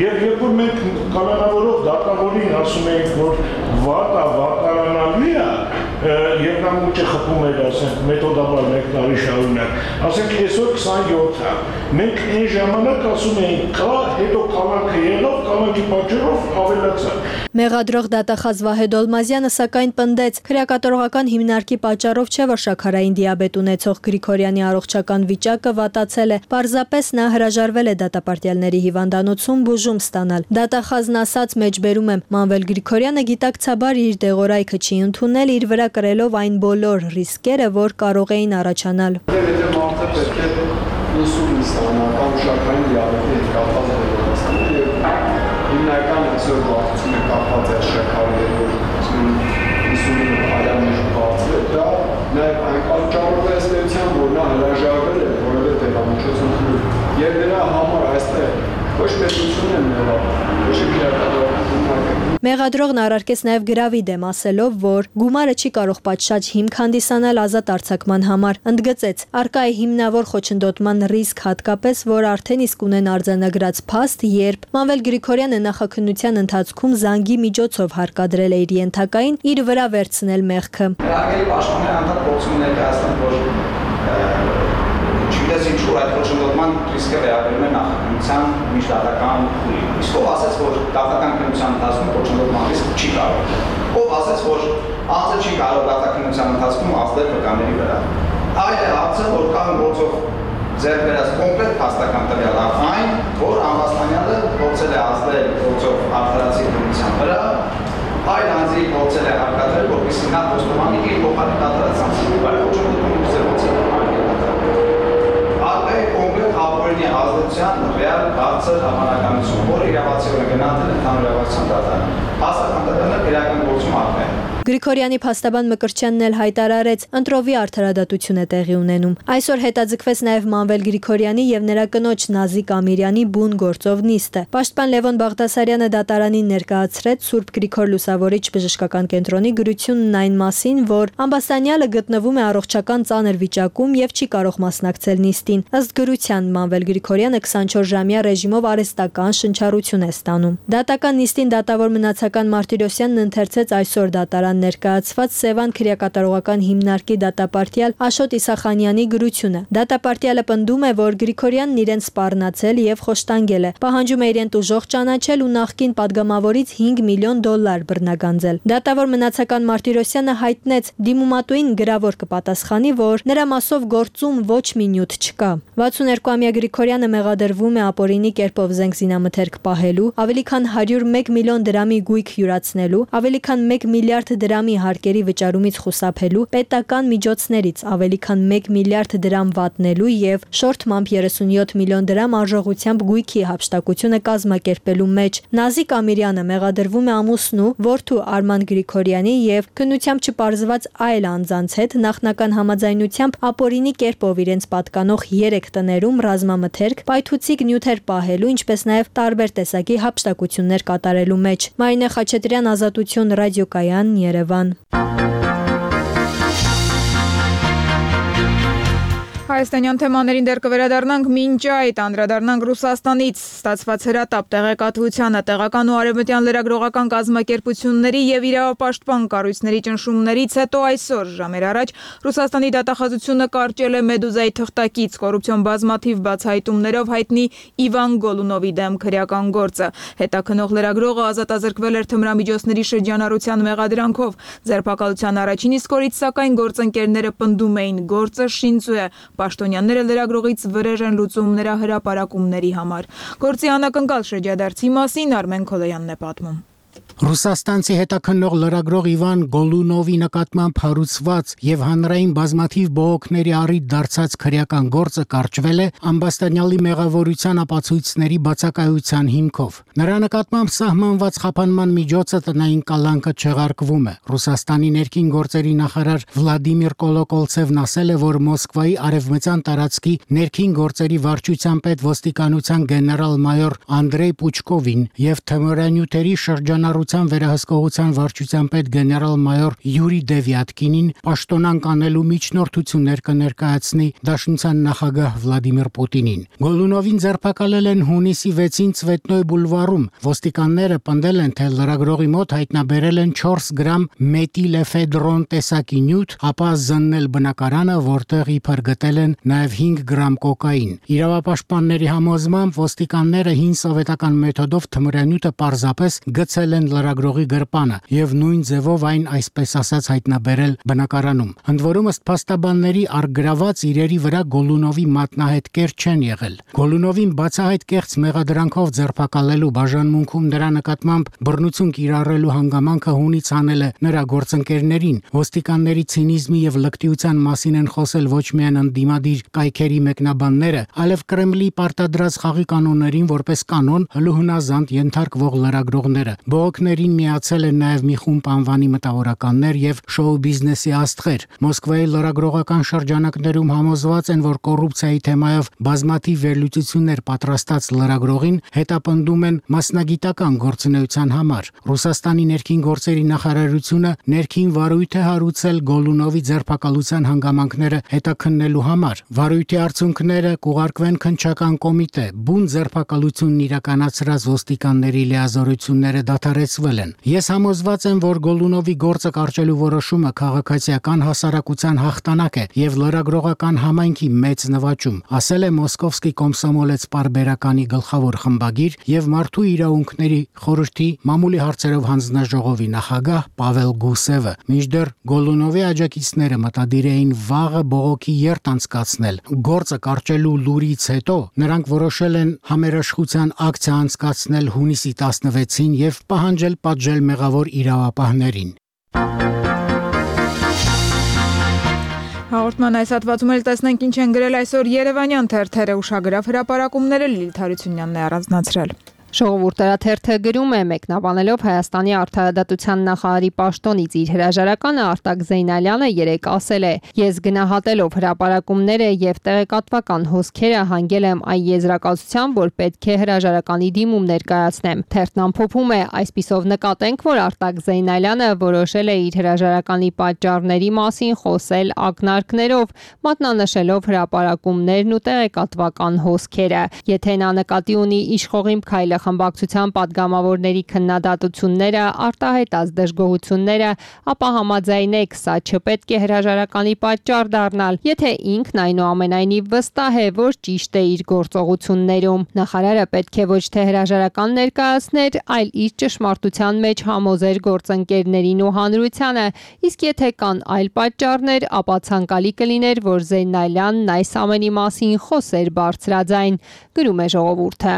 եւ երբ որ մենք կալանավորող դատավորին ասում էինք, որ վատա վատարանալու է, եւ նա ուղղակի խփում էր, ասենք, մեթոդաբար մեկ տարի շարունակ։ Ասենք այսօր քսանյոթ է։ Մենք այն ժամանակ ասում էինք, կա, հետո կալանքը եղավ, կալանքի պատճառով ավելացավ։ Մեղադրող դատախազ Վահե Դոլմազյանը սակայն պնդեց, քրեակատարողական հիմնարկի պատճառով չէ, որ շաքարային դիաբետ ունեցող Գրիգորյանի առողջական վիճակը վատացել է, պարզապես նա հրաժարվել է դատապարտյալների հիվանդանոցում բուժում ստանալ։ Դատախազն ասաց, մեջբերում եմ, Մանվել Գրիգորյանը գիտակցաբար իր դեղորայքը չի ընդունել, իր վրա կրելով այն բոլոր ռիսկերը, որ կարող էին առաջանալ։ Եթե մարդը պետք է ինսուլին ստանա կամ շաքարային դիաբետի հետ կապված դեղորայքն եւ հիմնական այսօր բացում է կապված է շաքարի հետ ինսուլինը այլամիջ բացել, դա նաեւ այն պատճառով է ստեցյան, որ նա հրաժարվել է որևէ դեղամիջոց ընդունել եւ նրա համար այստեղ ոչ պետություն են եղավ, ոչ քրեակատարական։ Մեղադրողն առարկեց նաև գրավի դեմ, ասելով, որ գումարը չի կարող պատշաճ հիմք հանդիսանալ ազատ արձակման համար։ Ընդգծեց, առկա է հիմնավոր խոչընդոտման ռիսկ, հատկապես, որ արդեն իսկ ունեն արձանագրած փաստ, երբ Մանվել Գրիգորյանը նախաքննության ընթացքում զանգի միջոցով հարկադրել է իր ենթակային իր վրա վերցնել մեղքը։ Հարգելի պաշտպաններ անդադար փորձում ներկայացնել, որ չգիտես ինչու այդ խոչընդոտման ռիսկը վերաբերում է նախաքննության միջդատական փուլին։ Իսկ ով ասաց, որ դատական քննության ընթացքում խոչընդոտման ռիսկ չի կարող։ Ով ասաց, որ անձը չի կարող դատական ընթացքում ազդել վկաների վրա։ Այլ է հարցը, որ կան գործով ձեռք բերած կոնկրետ փաստական տվյալ այն, որ Ամբաստանյանը փորձել է ազդել գործով արդարացի քննության վրա, այլ անձի փորձել է հարկադրել, որպեսզի նա խոստովանի իր փոխարեն կատարած անձի վրա խոչընդոտում ուղղել կոնկրետ ապօրինի ազդեցության ռեալ բարձր հավանականություն, որը իրավացիորեն գնահատել է ընդհանուր իրավասության դատարանը։ Փաստական տվյալները քրեական գործում ակտն են։ Գրիգորյանի փաստաբան Մկրտչյանն էլ հայտարարեց, ընտրովի արդարադատություն է տեղի ունենում։ Այսօր հետաձգվեց նաև Մանվել Գրիգորյանի եւ նրա կնոջ Նազիկ Ամիրյանի բուն գործով նիստը։ Պաշտպան Լևոն Բաղդասարյանը դատարանին ներկայացրեց Սուրբ Գրիգոր Լուսավորիչ բժշկական կենտրոնի գրությունն այն մասին, որ Ամբաստանյանը գտնվում է առողջական ծանր վիճակում եւ չի կարող մասնակցել նիստին։ Ըստ գրության Մանվել Գրիգորյանը քսանչորս-ժամյա ռեժիմով արհեստական շնչառություն է ստանում։ Դատական նիստին դատավոր մնացական Մարտիրոսյանն ընթերցեց այսօր դատարան ներկայացված Սևան քրեակատարողական հիմնարկի դատապարտյալ Աշոտ Իսախանյանի գրությունը։ Դատապարտյալը պնդում է, որ Գրիգորյանն իրեն սպառնացել եւ խոշտանգել է, պահանջում է իրեն տուժող ճանաչել ու նախկին падգամավորից հինգ միլիոն դոլար բռնագանձել։ Դատավոր մնացական Մարտիրոսյանը հայտնեց դիմումատուին գրավոր կպատասխանի, որ նրա մասով գործում ոչ մի նյութ չկա։ վաթսունհերկուամյա Գրիգորյանը մեղադրվում է ապօրինի կերպով զենք զինամթերք պահելու, ավելի քան հարյուր մեկ միլիոն դրամի գույք յուրացնելու, ավելի քան մեկ միլիարդ դրամի հարկերի վճարումից խուսափելու, պետական միջոցներից ավելի քան մեկ միլիարդ դրամ վատնելու եւ շորթմամբ երեսունյոթ միլիոն դրամ արժողությամբ գույքի հափշտակությունը կազմակերպելու մեջ։ Նազիկ Ամիրյանը մեղադրվում է ամուսնու, որդու Արման Գրիգորյանի եւ քննությամբ չպարզված այլ անձանց հետ նախնական համաձայնությամբ ապօրինի կերպով իրենց պատկանող երեք տներում ռազմամթերք, պայթուցիկ նյութեր պահելու, ինչպես նաեւ տարբեր տեսակի հափշտակություններ կատարելու մեջ։ Մարինե Խաչատրյան, Ազատություն, Ռադիոկայան, Երևան։ Հայաստանյան թեմաներին դեռ կվերադառնանք, մինչ այդ անդրադառնանք Ռուսաստանից ստացված հրատապ տեղեկատվությանը, տեղական ու արևմտյան լրագրողական կազմակերպությունների եւ իրավապաշտպան կառույցների ճնշումներից հետո այսօր ժամեր առաջ Ռուսաստանի դատախազությունը կարճել է Մեդուզայի թղթակից կոռուպցիոն բազմաթիվ բացահայտումներով հայտնի Իվան Գոլունովի դեմ քրեական գործը։ Հետաքննող լրագրողը ազատազրկվել էր թմրամիջոցների շրջանառության մեղադրանքով։ Ձերբակալության առաջին իսկ օրից սակայն գործընկերները պնդում էին, գործը շինծու է։ Պաշտոնյաները լրագրողից վրեժ են լուծում նրա հրապարակումների համար։ Գործի անակնկալ շրջադարձի մասին Արմեն Քոլոյանն է պատմում։ Ռուսաստանցի հետաքննող լրագրող Իվան Գոլունովի նկատմամբ հարուցված եւ հանրային բազմաթիվ բողոքների առիթ դարձած քրեական գործը կարճվել է Ամբաստանյալի մեղավորության ապացույցների բացակայության հիմքով։ Նրա նկատմամբ սահմանված խափանման միջոցը տնային կալանքը չեղարկվում է։ Ռուսաստանի ներքին գործերի նախարար Վլադիմիր Կոլոկոլցևն ասել է, որ Մոսկվայի արևմտյան տարածքի ներքին գործերի վարչության պետ ոստիկանության գեներալ-մայոր Անդրեյ Պուչկովին եւ թմրանյութերի շրջանառության կառավարության վերահսկողության վարչության պետ գեներալ-մայոր Յուրի Դևյատկինին պաշտոնանկ անելու միջնորդություններ կներկայացնի Դաշնության նախագահ Վլադիմիր Պուտինին։ Գոլունովին ձերբակալել են հունիսի վեցին Ցվետնոյ բուլվարում։ Ոստիկանները պնդել են, թե լրագրողի մոտ հայտնաբերել են չորս գրամ մետիլէֆեդրոն տեսակի նյութ, ապա զննել բնակարանը, որտեղ իբր գտել են նաև հինգ գրամ կոկային։ Իրավապաշտպանների համոզմամբ ոստիկանները հին սովետական մեթոդով թմրանյութը պարզապես գցել են լրագրողի գրպանը եւ նույն ձևով այն այսպես ասած հայտնաբերել բնակարանում։ Ընդ որում ըստ փաստաբանների առգրաված իրերի վրա Գոլունովի մատնահետքեր չեն եղել։ Գոլունովին բացահայտ կեղծ մեղադրանքով ձերբակալելու բաժանմունքում նրա նկատմամբ բռնություն կիրառելու հանգամանքը հունից անել է նրա գործընկերներին։ Ոստիկանների ցինիզմի եւ լկտիության մասին են խոսել ոչ միայն ընդդիմադիր կայքերի մեկնաբանները, այլև Կրեմլի պարտադրած խաղի կանոններին որպես կանոն հլուհնազանդ ենթարկվող լրագրողները։ Բողոքներին միացել են նաև մի խումբ անվանի մտավորականներ եւ շոու բիզնեսի աստղեր։ Մոսկվայի լրագրողական շրջանակներում համոզված են, որ կոռուպցիայի թեմայով բազմաթիվ վերլուծություններ պատրաստած լրագրողին հետապնդում են մասնագիտական գործունեության համար։ Ռուսաստանի ներքին գործերի նախարարությունը ներքին վարույթ է հարուցել Գոլունովի ձերբակալության հանգամանքները հետաքննելու համար։ Վարույթի արդյունքները կուղարկվեն քննչական կոմիտե։ Բուն ձերբակալությունն իրականացրած ոստիկանների լիազորությունները դադարեցվել են։ Ես համոզված եմ, որ Գոլունովի գործը կարճելու որոշումը քաղաքացիական հասարակության հաղթանակ է եւ լրագրողական համայնքի մեծ նվաճում, ասել է Մոսկովսկի Կոմսոմոլեց պարբերականի գլխավոր խմբագիր եւ Մարդու իրավունքների խորհրդի մամուլի հարցերով հանձնաժողովի նախագահ Պավել Գուսևը։ Մինչդեռ Գոլունովի աջակիցները մտադիր էին վաղը բողոքի երթ անցկացնել։ Գործը կարճելու լուրից հետո նրանք որոշել են համերաշխության ակցիա անցկացնել հունիսի տասնվեցին եւ պահանջել պատժել մեղավոր իրավապահներին։ Հաղորդման այս հատվածում էլ տեսնենք ինչ են գրել այսօր Երևանյան թերթերը, ուշագրավ հրապարակումները Լիլիթ Հարությունյանն է առանձնացրել։ Ժողովուրդը գրում է մեկնաբանելով Հայաստանի արդարադատության նախարարի պաշտոնից իր հրաժարականը Արտակ Զեյնալյանը երեկ ասել է. «Ես գնահատելով հրապարակումները եւ տեղեկատվական հոսքերը հանգել եմ այն եզրակացության, որ պետք է հրաժարականի դիմում ներկայացնեմ»։ Թերթն ամփոփում է. «Այսպիսով նկատենք, որ Արտակ Զեյնալյանը որոշել է իր հրաժարականի պատճառների մասին խոսել ակնարկներով, մատնանշելով հրապարակումներն ու տեղեկատվական հոսքերը։ Եթե նա նկատի ունի իշխողիմ քայլը խմբակցության падգամավորների քննադատությունները, արտահայտած դժգոհությունները, ապա համաձայնեք, սա չպետք է հրաժարականի պատճառ դառնալ, եթե ինքն այնուամենայնիվ վստահ է, որ ճիշտ է իր գործողություններում։ Նախարարը պետք է ոչ թե հրաժարական ներկայացներ, այլ իր ճշմարտության մեջ համոզեր գործընկերներին ու հանրությանը, իսկ եթե կան այլ պատճառներ, ապա ցանկալի կլիներ, որ Զեյնալյանն այս ամենի մասին խոսեր բարձրաձայն», գրում է Ժողովուրդը։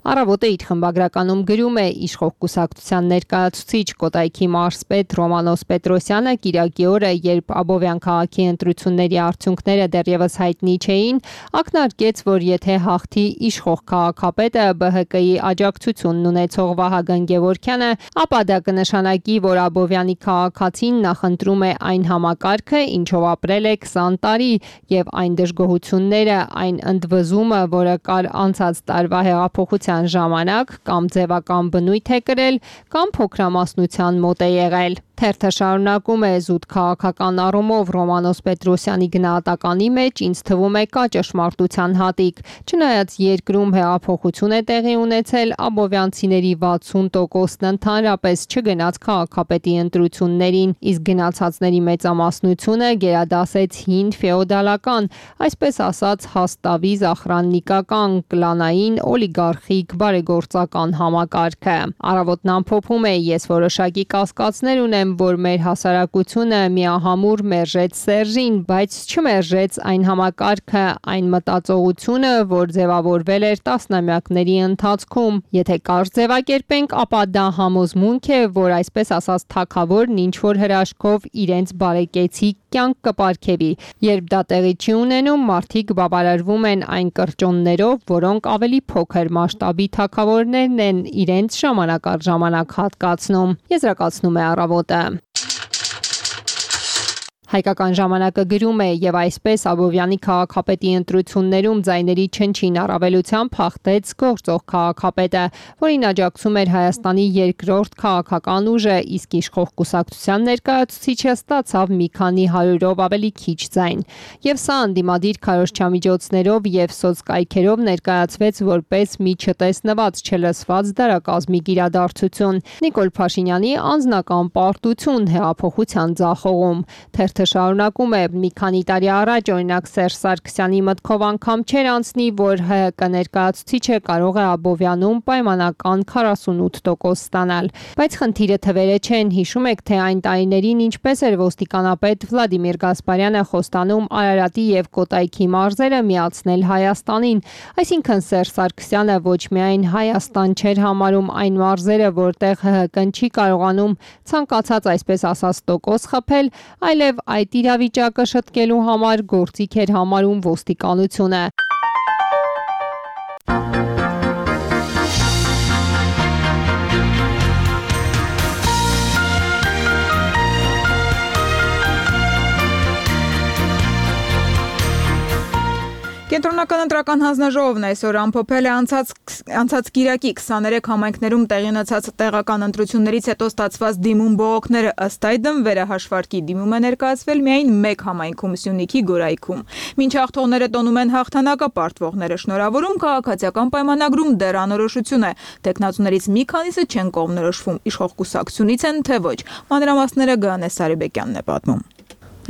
Առավոտը իր խմբագրականում գրում է. «Իշխող կուսակցության ներկայացուցիչ Կոտայքի մարզպետ Ռոմանոս Պետրոսյանը կիրակի օրը, երբ Աբովյան քաղաքի ընտրությունների արդյունքները դեռևս հայտնի չէին, ակնարկեց, որ եթե հաղթի իշխող քաղաքապետը Բ Հ Կ-ի աջակցությունն ունեցող Վահագն Գևորգյանը, ապա դա կնշանակի, որ Աբովյանի քաղաքացին նախընտրում է այն համակարգը, ինչով ապրել է քսան տարի, եւ այն դժգոհությունները, այն ընդվզումը, որը կար անցած տարվա հեղափոխության ժամանակ, կամ ձևական բնույթ է կրել, կամ փոքրամասնության մոտ է եղել»։ Թերթը շարունակում է. «Զուտ քաղաքական առումով Ռոմանոս Պետրոսյանի գնահատականի մեջ ինձ թվում է կա ճշմարտության հատիկ։ Չնայած երկրում հեղափոխություն է տեղի ունեցել, աբովյանցիների վաթսուն տոկոսն ընդհանրապես չգնաց քաղաքապետի ընտրություններին, իսկ գնացածների մեծամասնությունը գերադասեց հին ֆեոդալական, այսպես ասած հաստավի զախրաննիկական, կլանային, օլիգարխիկ, բարեգործական համակարգը»։ Առավոտն ամփոփում է. «Ես որոշակի կասկածներ ունեմ, որ մեր հասարակությունը միահամուռ մերժեց Սերժին, բայց չմերժեց այն համակարգը, այն մտածողությունը, որ ձևավորվել էր տասնամյակների ընթացքում։ Եթե կարճ ձևակերպենք, ապա դա համոզմունք է, որ այսպես ասած թագավորն ինչ-որ հրաշքով իրենց բարեկեցիկ կյանք կպարգևի։ Երբ դա տեղի չի ունենում, մարդիկ բավարարվում են այն կրճոններով, որոնք ավելի փոքր մասշտաբի թագավորներն են իրենց ժամանակ առ ժամանակ հատկացնում», եզրակացնում է Առավոտը։ Հայկական ժամանակը գրում է եւ այսպես Աբովյանի քաղաքապետի ընտրություններում ձայների չնչին առավելությամբ հաղթեց գործող քաղաքապետը, որին աջակցում էր Հայաստանի երկրորդ քաղաքական ուժը, իսկ իշխող կուսակցության ներկայացուցիչը ստացավ մի քանի հարյուրով ավելի քիչ ձայն։ Եվ սա անդիմադիր քարոզչամիջոցներով եւ սոցկայքերով ներկայացվեց որպես մի չտեսնված, չլսված դարակազմիկ իրադարձություն։ Նիկոլ Փաշինյանի անձնական պարտություն հեղափոխության ձախողում։ Թերթը շարունակում է. մի քանի տարի առաջ օրինակ Սերժ Սարգսյանի մտքով անգամ չէր անցնի, որ ՀՀԿ ներկայացուցիչը կարող է Աբովյանում պայմանական քառասունութ տոկոս ստանալ։ Բայց խնդիրը թվերը չեն, հիշում եք, թե այն տարիներին ինչպես էր ոստիկանապետ Վլադիմիր Գասպարյանը խոստանում Արարատի եւ Կոտայքի մարզերը միացնել Հայաստանին, այսինքն Սերժ Սարգսյանը ոչ միայն Հայաստան չէր համարում այն մարզերը, որտեղ ՀՀԿ-ն չի կարողանում ցանկացած այսպես ասած տոկոս խփել, այլև այդ իրավիճակը շտկելու համար գործիք էր համարում ոստիկանությունը։ Կենտրոնական ընտրական հանձնաժողովն այսօր ամփոփել է անցած անցած կիրակի քսաներեք համայնքներում տեղի ունեցած տեղական ընտրություններից հետո ստացված դիմում բողոքները, ըստ այդմ վերահաշվարկի դիմում է ներկայացվել միայն մեկ համայնքում՝ Սյունիքի Գորայքում։ Մինչ հաղթողները տոնում են հաղթանակը, պարտվողները շնորհավորում, քաղաքացիական պայմանագրում դեռ անորոշություն է։ Տեխնացուներից մի քանիսը չեն կողմնորոշվում, իշխող կուսակցությունից են, թե ոչ։ Մանրամասները Գայանե Սարիբեկյանն է պատմում։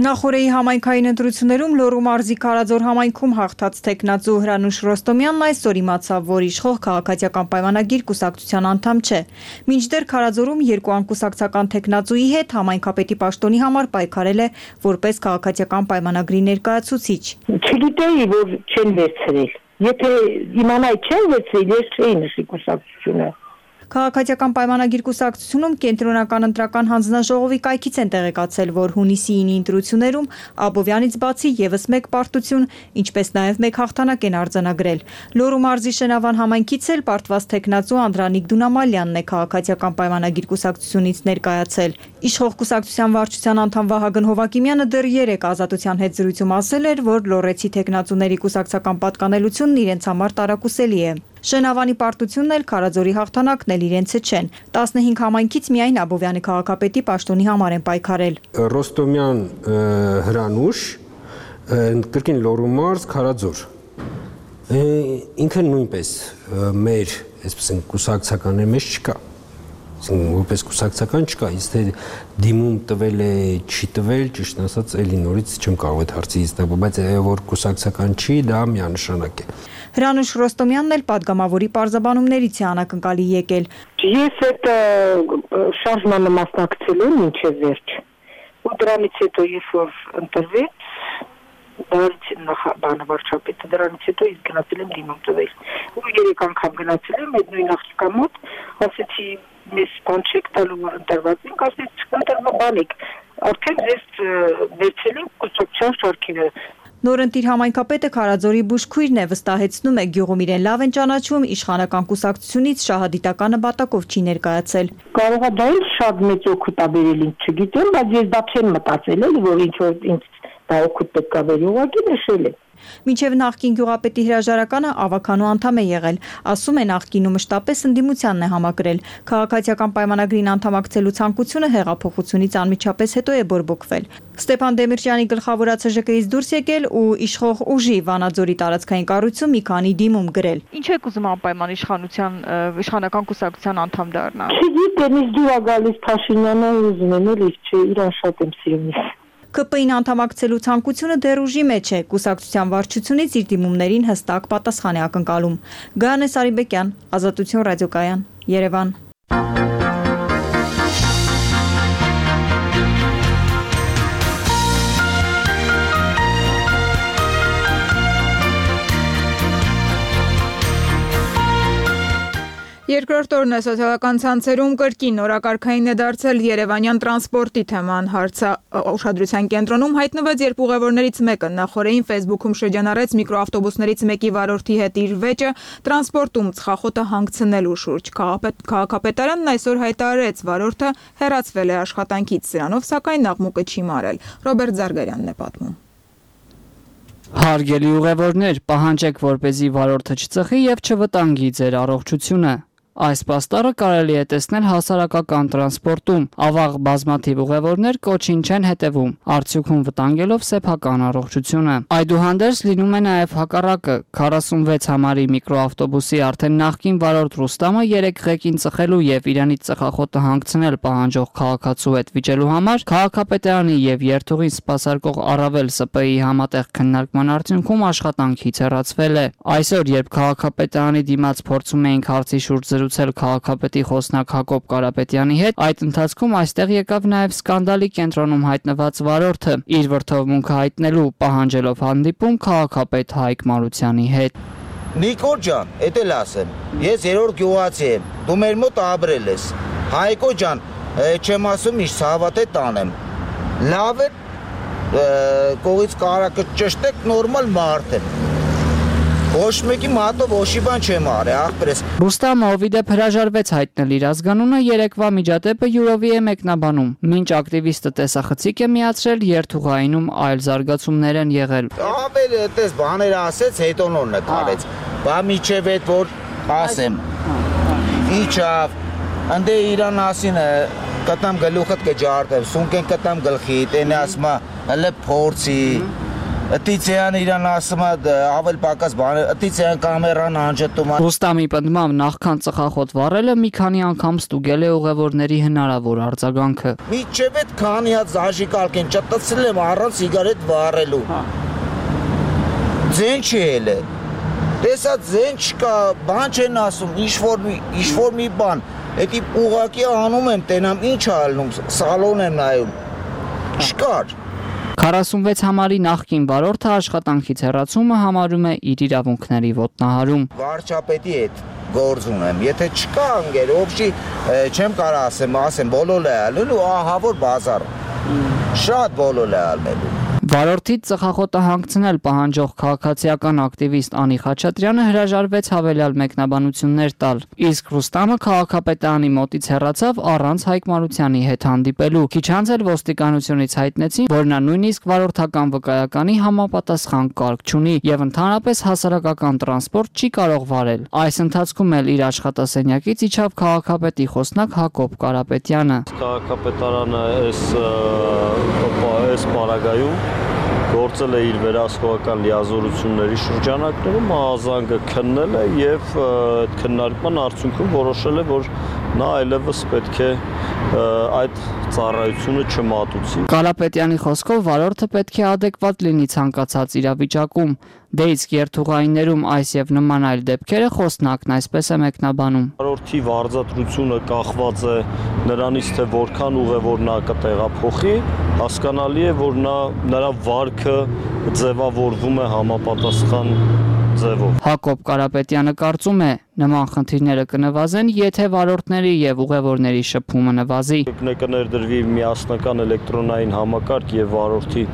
Նախորեի համայնքային ընտրություններում Լոռու մարզի Քարաձոր համայնքում հաղթած տեխնացու Հրանուշ Ռոստոմյանն այսօր իմացավ, որ իշխող քաղաքացիական պայմանագիր կուսակցության անդամ չէ։ Մինչդեռ Քարաձորում երկու անկուսակցական տեխնացուի հետ համայնքապետի պաշտոնի համար պայքարել է որպես քաղաքացիական պայմանագրի ներկայացուցիչ։ Չգիտեի, որ չեն վերցրել։ Եթե իմանայի չեն վերցրել, ես չէի նշի կուսակցությունը։ Քաղաքացիական պայմանագիր կուսակցությունում կենտրոնական ընտրական հանձնաժողովի կայքից են տեղեկացել, որ հունիսի ինի ընտրություններում Աբովյանից բացի եւս մեկ պարտություն, ինչպես նաեւ մեկ հաղթանակ են արձանագրել։ Լոռու մարզի Շենավան համայնքից էլ պարտված տեխնացու Անդրանիկ Դունամալյանն է քաղաքացիական պայմանագիր կուսակցությունից ներկայացել։ Իշխող կուսակցության վարչության անդամ Վահագն Հովակիմյանը դեռ երեք Ազատության հետ զրույցում ասել էր, որ լոռեցի տեխնացուների կուսակցական պատկանելությունն իրենց համար տարակուսելի է։ Շենավանի պարտությունն էլ Քարաձորի հաղթանակն էլ իրենցը չեն։ տասնհինգ համայնքից միայն Աբովյանի քաղաքապետի պաշտոնի համար են պայքարել։ Ռոստոմյան Հրանուշ, կրկին Լոռու մարզ, Քարաձոր։ Ինքը նույնպես մեր, այսպես են, կուսակցական է, մեզ չկա։ Որպես կուսակցական չկա, իսկ թե դիմում տվել է, չի տվել, ճիշտ ասած, էլի նորից չեմ կարող այդ հարցից տալ, բայց որ կուսակցական չի, դա միանշանակ է։ Հրանուշ Ռոստոմյանն էլ падգամավորի պարզաբանումներից է անակնկալի եկել։ Ես այդ շարժմանը մասնակցել եմ մինչև վերջ։ Ու դրանից հետո երբ որ ընտրվեց, դրանից նախաբանը վարչապետը, դրանից հետո ես գնացել եմ դիմում տվել։ Ու երեք անգամ գնացել եմ այդ նույն աղջկա մոտ, ասեցի մեզ բան չեք տալու, որ ընտրված ենք, ասեց ընտրվա բանիկ, արդեն ձեզ վերցել ենք կուսակցության շարքերը։ Նորընտիր համայնքապետը Քարաձորի բուժքույրն է, վստահեցնում է գյուղում իրեն լավ են ճանաչում, իշխանական կուսակցությունից շահադիտականը բատակով չի ներկայացել։ Կարող է դա էլ շատ մեծ օգուտ ա բերել, ինձ չգիտեմ, բայց ես դա չեմ մտածել, էլի որ ինչ որ ինձ դա օգուտ պետք է բերի, ուղղակի նշել եմ։ Մինչև նախկին գյուղապետի հրաժարականը ավականու անդամ է եղել, ասում է նախկինում մշտապես ընդդիմությանն է համակրել։ Քաղաքացիական պայմանագրին անդամակցելու ցանկությունը հեղափոխությունից անմիջապես հետո է բորբոքվել։ Ստեփան Դեմիրճյանի գլխավորած ՀԺԿ-ից դուրս եկել ու իշխող ուժի Վանաձորի տարածքային կառույցում մի քանի դիմում գրել։ Ինչ եք ուզում անպայման իշխանության իշխանական կուսակցության անդամ դառնալ։ Չգիտեմ, ինձ դուր ա գալիս Փաշինյանը, ուզում եմ էլի, չէ, իրան շատ եմ սիրում։ ԿՊ-ին անդամակցելու ցանկությունը դեռ ուժի մեջ է, կուսակցության վարչությունից իր դիմումներին հստակ պատասխան է ակնկալում։ Գայանե Սարիբեկյան, Ազատություն ռադիոկայան, Երևան։ Երկրորդ օրն է սոցիալական ցանցերում կրկին օրակարգային է դարձել Երևանյան տրանսպորտի թեման հարցը ուշադրության կենտրոնում հայտնվեց, երբ ուղևորներից մեկը նախորդին Facebook-ում շրջանառեց միկրոավտոբուսներից մեկի վարորդի հետ իր վեճը տրանսպորտում ծխախոտը հանգցնելու շուրջ։ Քաղաքապետարանն այսօր հայտարարեց, վարորդը հեռացվել է աշխատանքից, սրանով սակայն աղմուկը չի մարել։ Ռոբերտ Զարգարյանն է պատմում։ Հարգելի ուղևորներ, պահանջեք, որպեսզի վարորդը չծխի եւ չվտանգի ձեր առողջությունը։ Այս պաստառը կարելի է տեսնել հասարակական տրանսպորտում։ Ավաղ բազմաթիվ ուղևորներ կոչին չեն հետևում, արդյունքում վտանգելով սեփական առողջությունը։ Այդուհանդերձ լինում է նաև հակառակը։ քառասունվեց համարի միկրոավտոբուսի արդեն նախկին վարորդ Ռուստամը երեք ղեկին ծխելու եւ իրանից ծխախոտը հանգցնել պահանջող քաղաքացու հետ վիճելու համար քաղաքապետարանի եւ երթուղին սպասարկող առավել Ս Պ-ի համատեղ քննարկման արդյունքում աշխատանքից հեռացվել է։ Այսօր, երբ քաղաքապետարանի դիմաց փորձում էինք հարցի շուրջ զրուցել քաղաքապետի խոսնակ Հակոբ Կարապետյանի հետ, այդ ընթացքում այստեղ եկավ նաև սկանդալի կենտրոնում հայտնված վարորդը, իր վրդովմունքը հայտնելու պահանջելով հանդիպում քաղաքապետ Հայկ Մարությանի հետ։ Նիկոլ ջան, էդ էլ ասեմ, ես երրորդ գյուղացի եմ, դու մեր մոտ ապրել ես։ Հայկո ջան, չեմ ասում ինչ հավատ է տանեմ։ Լավ է, կողից կարակը ճշտեք, նորմալ մարդ եմ։ Ոչ մեկի մատով ոչի բան չեմ արել, ախպերես։ Ռուստամը Օվիդեփ հրաժարվեց հայտնել իր ազգանունը, երեկվա միջադեպը յուրովի է մեկնաբանում։ Մինչ ակտիվիստը տեսախցիկ է միացրել, երթուղայինում այլ զարգացումներ են եղել։ Ավել այդպես բաներ ասեց, հետո նոր նկարեց։ Բա միջև այդ որ ասեմ։ Իջավ, անդե իրան ասին կտամ գլուխդ կջարտեմ, սունկեն կտամ գլխիդ, այն ասма հələ փորձի։ Ըտիցյան իրան ասում է ավել պակաս բաներ, ըտիցյան կամերան անջտում է։ Ռուստամի պնդմամբ նախքան ծխախոտ վառելը մի քանի անգամ ստուգել է ուղևորների հնարավոր արձագանքը։ Միջև այդ քանի հատ զաժիկալք են ճտցրել եմ առանց սիգարետ վառելու։ Ձեն չի էլ է։ Տեսա ձեն չկա, բան չեն ասում, ինչ-որ մի, ինչ-որ մի բան։ Էդի ուղակի անում եմ, տենամ ինչ ալնում, սալոն եմ նայում։ Չկար։ քառասունվեց համարի նախկին վարորդը աշխատանքից հեռացումը համարում է իր իրավունքների ոտնահարում։ Վարչապետի հետ գործ ունեմ, եթե չկա ընկեր, ոբշի չեմ կարող ասեմ, ասեմ բոլոր է ալնելու, ահա որ բազար։ Շատ բոլոր է ալնելու։ Վարորդից ծխախոտը հանգցնել պահանջող քաղաքացիական ակտիվիստ Անի Խաչատրյանը հրաժարվեց հավելյալ մեկնաբանություններ տալ։ Իսկ Ռուստամը քաղաքապետարանի մոտից հեռացավ առանց Հայկ Մարությանի հետ հանդիպելու։ Քիչ անց էլ ոստիկանությունից հայտնեցին, որ նա նույնիսկ վարորդական վկայականի համապատասխան կարգ չունի եւ ընդհանրապես հասարակական տրանսպորտ չի կարող վարել։ Այս ընթացքում էլ իր աշխատասենյակից իջավ քաղաքապետի խոսնակ Հակոբ Կարապետյանը։ Քաղաքապետարանը այս այս պարագայում գործել է իր վերահսկողական լիազորությունների շրջանակներում, ազանգը քննել է եւ այդ քննարկման արդյունքում որոշել է, որ նա այլևս պետք է այդ ծառայությունը չմատուցի։ Կարապետյանի խոսքով վարորդը պետք է adekvat լինի ցանկացած իրավիճակում։ Դե իսկ երթուղայիներում այս եւ նման այլ դեպքերը խոսնակն այսպես է մեկնաբանում։ Վարորդի վարձատրությունը կախված է նրանից, թե որքան ուղևոր նա կտեղափոխի, հասկանալի է, որ նա նրա վարքը ձևավորվում է համապատասխան ձևով։ Հակոբ Կարապետյանը կարծում է, նման խնդիրները կնվազեն, եթե վարորդների եւ ուղևորների շփումը նվազի։ Կներդրվի միասնական էլեկտրոնային համակարգ եւ վարորդի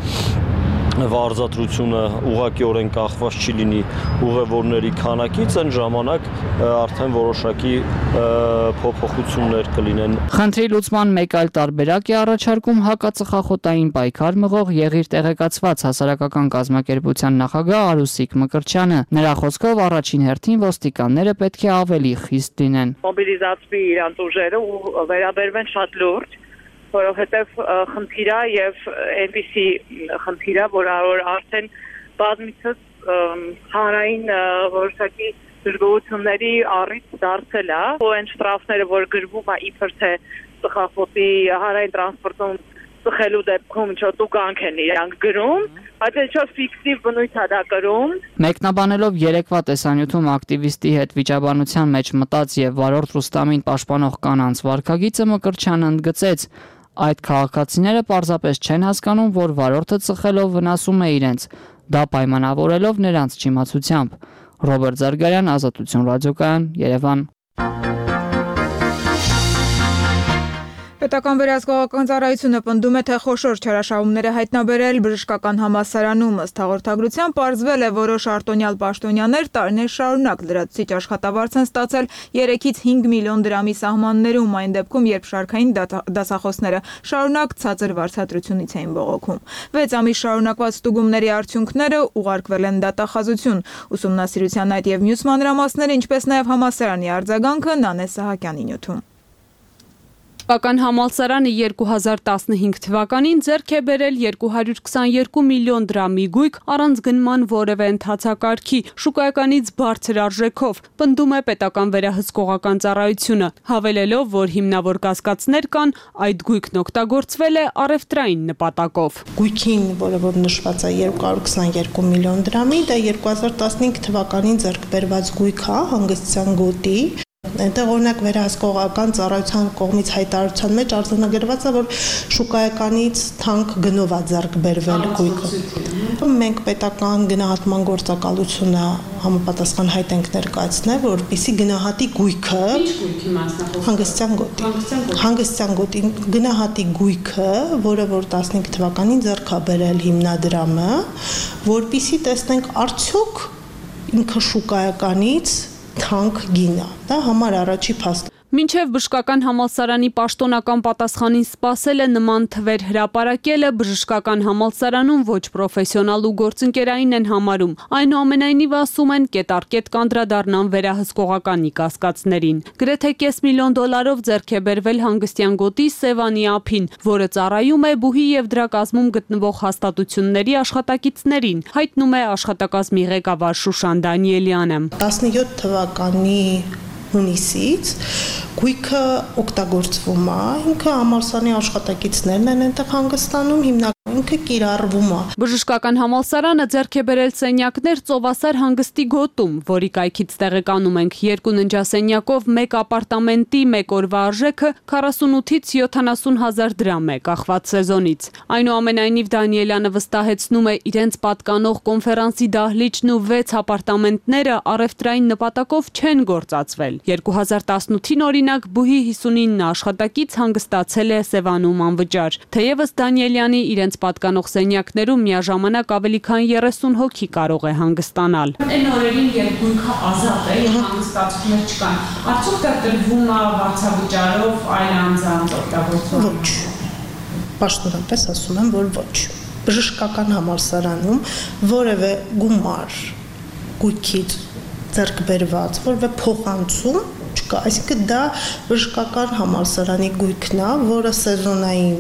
վարձատրությունը ուղղակիորեն կախված չի լինի ուղևորների քանակից, այն ժամանակ արդեն որոշակի փոփոխություններ կլինեն։ Խնդրի լուծման մեկ այլ տարբերակ է առաջարկում հակածխախոտային պայքար մղող եղիր տեղեկացված հասարակական կազմակերպության նախագահ Արուսիկ Մկրտչյանը։ Նրա խոսքով առաջին հերթին ոստիկանները պետք է ավելի խիստ լինեն։ Մոբիլիզացվի իրանց ուժերը ու վերաբերվեն շատ լուրջ, որովհետև խնդիրը եւ այնպիսի խնդիրը, որ արդեն բազմիցս հանրային որոշակի դժգոհությունների առիթ դարձել է, ու այն շտրաֆները, որ գրվում է իբր թե ծխախոտի հանրային տրանսպորտում ծխելու դեպքում չոտուկանք են իրանք գրում, բայց այդ շատ ֆիքսիվ բնույթ է դա կրում։ Մեկնաբանելով երեկվա տեսանյութում ակտիվիստի հետ վիճաբանության մեջ մտած եւ վարորդ Ռուստամին պաշտպանող կանանց վարքագիծը Մկրտչյանը ընդգծեց, այդ քաղաքացիները պարզապես չեն հասկանում, որ վարորդը ծխելով վնասում է իրենց, դա պայմանավորելով նրանց չիմացությամբ։ Ռոբերտ Զարգարյան, Ազատություն ռադիոկայան, Երևան։ Պետական վերահսկողական ծառայությունը պնդում է, թե խոշոր չարաշահումներ է հայտնաբերել բժշկական համալսարանում, ըստ հաղորդագրության պարզվել է որոշ արտոնյալ պաշտոնյաներ տարիներ շարունակ լրացուցիչ աշխատավարձ են ստացել երեքից հինգ միլիոն դրամի սահմաններում, այն դեպքում, երբ շարքային դասախոսները շարունակ ցածր վարձատրությունից էին բողոքում։ Վեց ամիս շարունակված ստուգումների արդյունքները ուղարկվել են դատախազություն։ Ուսումնասիրության այդ եւ մյուս մանրամասները, ինչպես նաեւ համալսարանի արձագանքը Նանե Սահակյանի նյութում։ Պետական համալսարանը երկու հազար տասնհինգ թվականին ձեռք է բերել երկու հարյուր քսաներկու միլիոն դրամի գույք առանց գնման որևէ ընթացակարգի, շուկայականից բարձր արժեքով, պնդում է պետական վերահսկողական ծառայությունը, հավելելով, որ հիմնավոր կասկածներ կան, այդ գույքն օգտագործվել է առևտրային նպատակով։ Գույքին, որը որ նշված է երկու հարյուր քսաներկու միլիոն դրամի, դա երկու հազար տասնհինգ թվականին ձեռք բերված գույք է, հանգստյան գոտի։ Այնտեղ օրինակ վերահսկողական ծառայության կողմից հայտարարության մեջ արձանագրված է, որ շուկայականից թանկ գնով է ձեռք բերվել գույքը։ Մենք պետական գնահատման գործակալությունը համապատասխան հայտ ենք ներկայացնել, որպեսզի գնահատի գույքը, հանգստյան գոտի, հանգստյան գոտի գնահատի գույքը, որը որ տասնհինգ թվականին ձեռք է բերել հիմնադրամը, որպեսզի տեսնենք արդյոք ինքը շուկայականից թանկ գինա, դա համար առաջի փաստ։ Մինչև բժշկական համալսարանի պաշտոնական պատասխանին սպասել է նման թվեր հրապարակելը, բժշկական համալսարանում ոչ պրոֆեսիոնալ ու գործընկերային են համարում, այնուամենայնիվ ասում են կետառկետ կանդրադառնան վերահսկողականի կասկածներին։ Գրեթե կես միլիոն դոլարով ձեռք է բերվել հանգստյան գոտի Սևանի ափին, որը ծառայում է բուհի եւ դրա կազմում գտնվող հաստատությունների աշխատակիցներին, հայտնում է աշխատակազմի ղեկավար Շուշան Դանիելյանը։ տասնյոթ թվականի հունիսից գույքը օգտագործվում է, ինքը համալսարանի աշխատակիցներն են այնտեղ հանգստանում, հիմնականում ինքը կիրառվում է։ Բժշկական համալսարանը ձեռք է բերել սենյակներ Ծովասար հանգստի գոտում, որի կայքից տեղեկանում ենք երկու ննջասենյակով մեկ ապարտամենտի մեկ օրվա արժեքը քառասունութից յոթանասուն հազար դրամ է, կախված սեզոնից։ Այնուամենայնիվ Դանիելյանը վստահեցնում է իրենց պատկանող կոնֆերանսի դահլիճն ու վեց ապարտամենտները առևտրային նպատակով չեն գործածվել։ երկու հազար տասնութին օրինակ բուհի հիսունինը աշխատակից հանգստացել է Սևանում անվճար։ Թեևս Դանիելյանի իրենց պատկանող սենյակներում միաժամանակ ավելի քան երեսուն հոգի կարող է հանգստանալ։ Այն օրերին, երբ գույքը ազատ է, եւ հանգստացումներ չկան, արդյոք դա տրվում է վարձավճարով այլ անձանց օգտագործում։ Ոչ։ Պաշտոնապես ասում եմ, որ ոչ։ Բժշկական համալսարանում որևէ գումար գույքից ձեռք բերված, որևէ փոխանցում չկա, այսինքն դա բժշկական համալսարանի գույքն է, որը սեզոնային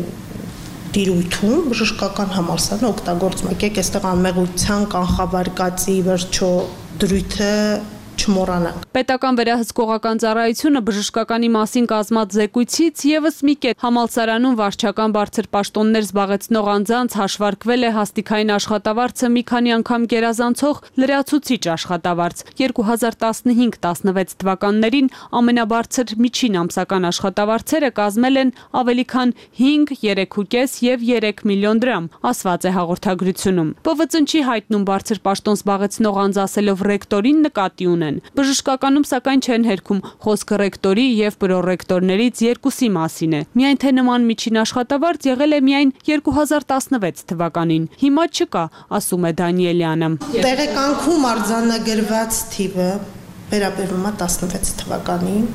տիրույթում բժշկական համալսարանը օգտագործում է։ Եկեք այստեղ անմեղության կանխավարկածի վերջո դրույթը չմոռանանք։ Պետական վերահսկողական ծառայությունը բժշկականի մասին կազմած զեկույցից եւս մի կետ համալսարանում վարչական բարձր պաշտոններ զբաղեցնող անձանց հաշվարկվել է հաստիկային աշխատավարձը մի քանի անգամ գերազանցող լրացուցիչ աշխատավարձ։ երկու հազար տասնհինգ տասնվեց թվականներին ամենաբարձր միջին ամսական աշխատավարձերը կազմել են ավելի քան հինգ, երեք ու կես եւ երեք միլիոն դրամ, ասված է հաղորդագրությունում։ Բ V Ծ Ն-ի հայտնում բարձր պաշտոն զբաղեցնող անձ ասելով ռեկտորին նկատի ունեն։ Բժշկականում սակայն չեն հերքում, խոսքը ռեկտորի եւ պրոռեկտորներից երկուսի մասին է։ Միայն թե նման միջին աշխատավարձ եղել է միայն երկու հազար տասնվեց թվականին։ Հիմա չկա, ասում է Դանիելյանը։ Տեղեկանքում արձանագրված թիվը վերաբերում է տասնվեց թվականին,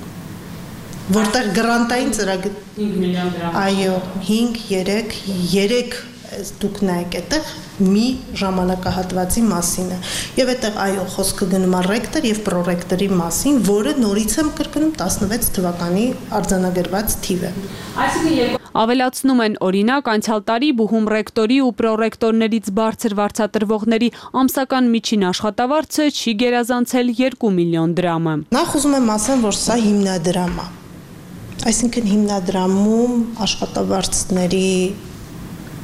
որտեղ գրանտային ծրագիր հինգ միլիոն դրամ։ Այո, հինգ, երեք, երեք դուք նայեք այդտեղ մի ժամանակահատվածի մասին է։ Եվ այդտեղ այո, խոսքը գնում է ռեկտոր եւ պրոռեկտորի մասին, որը նորից եմ կրկնում տասնվեց թվականի արձանագրված թիվ է։ Այսինքն ավելացնում են օրինակ անցյալ տարի բուհում ռեկտորի ու պրոռեկտորներից բարձր վարձատրվողների ամսական միջին աշխատավարձը չի գերազանցել երկու միլիոն դրամը։ Նախ ուզում եմ ասեմ, որ սա հիմնադրամ է։ Այսինքն հիմնադրամում աշխատավարձների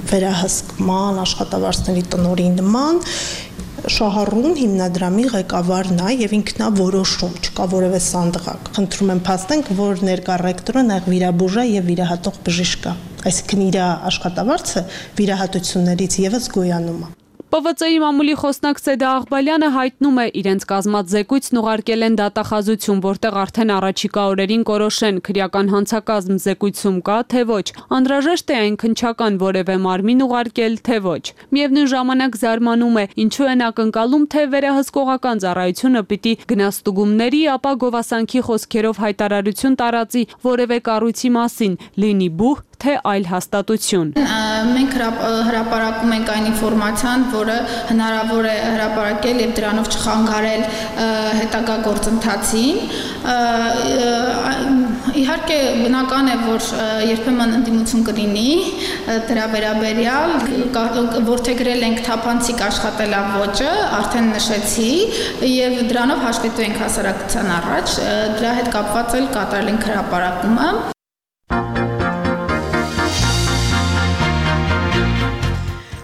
վերահսկման, աշխատավարձների տնօրինման շահառուն հիմնադրամի ղեկավարն է եւ ինքն է որոշում, չկա որևէ սանդղակ։ Խնդրում եմ փաստենք, որ ներկա ռեկտորը նախ վիրաբուժ է եւ վիրահատող բժիշկ է, այսինքն իր աշխատավարձը վիրահատություններից եւս գոյանում է։ Պ V C-ի մամուլի խոսնակ Սեդա Աղբալյանը հայտնում է, իրենց կազմած զեկույցն ուղարկել են դատախազություն, որտեղ արդեն առաջիկա օրերին կորոշեն քրեական հանցակազմ զեկույցում կա, թե ոչ, անհրաժեշտ է այն քննչական որևէ մարմին ուղարկել, թե ոչ։ Միևնույն ժամանակ զարմանում է, ինչու են ակնկալում, թե վերահսկողական ծառայությունը պիտի գնաստուգումների, ապա գովասանքի խոսքերով հայտարարություն տարածի որևէ կառույցի մասին, լինի բուհ, թե այլ հաստատություն։ Մենք հրապարակում ենք այն ինֆորմացիան, որը հնարավոր է հրապարակել եւ դրանով չխանգարել հետագա գործընթացին։ Իհարկե բնական է, որ երբեմն ընդդիմություն կլինի դրա վերաբերյալ, որդեգրել ենք թափանցիկ աշխատելավոճը, արդեն նշեցի, եւ դրանով հաշվետու ենք հասարակության առաջ, դրա հետ կապված էլ կատարել ենք հրապարակումը։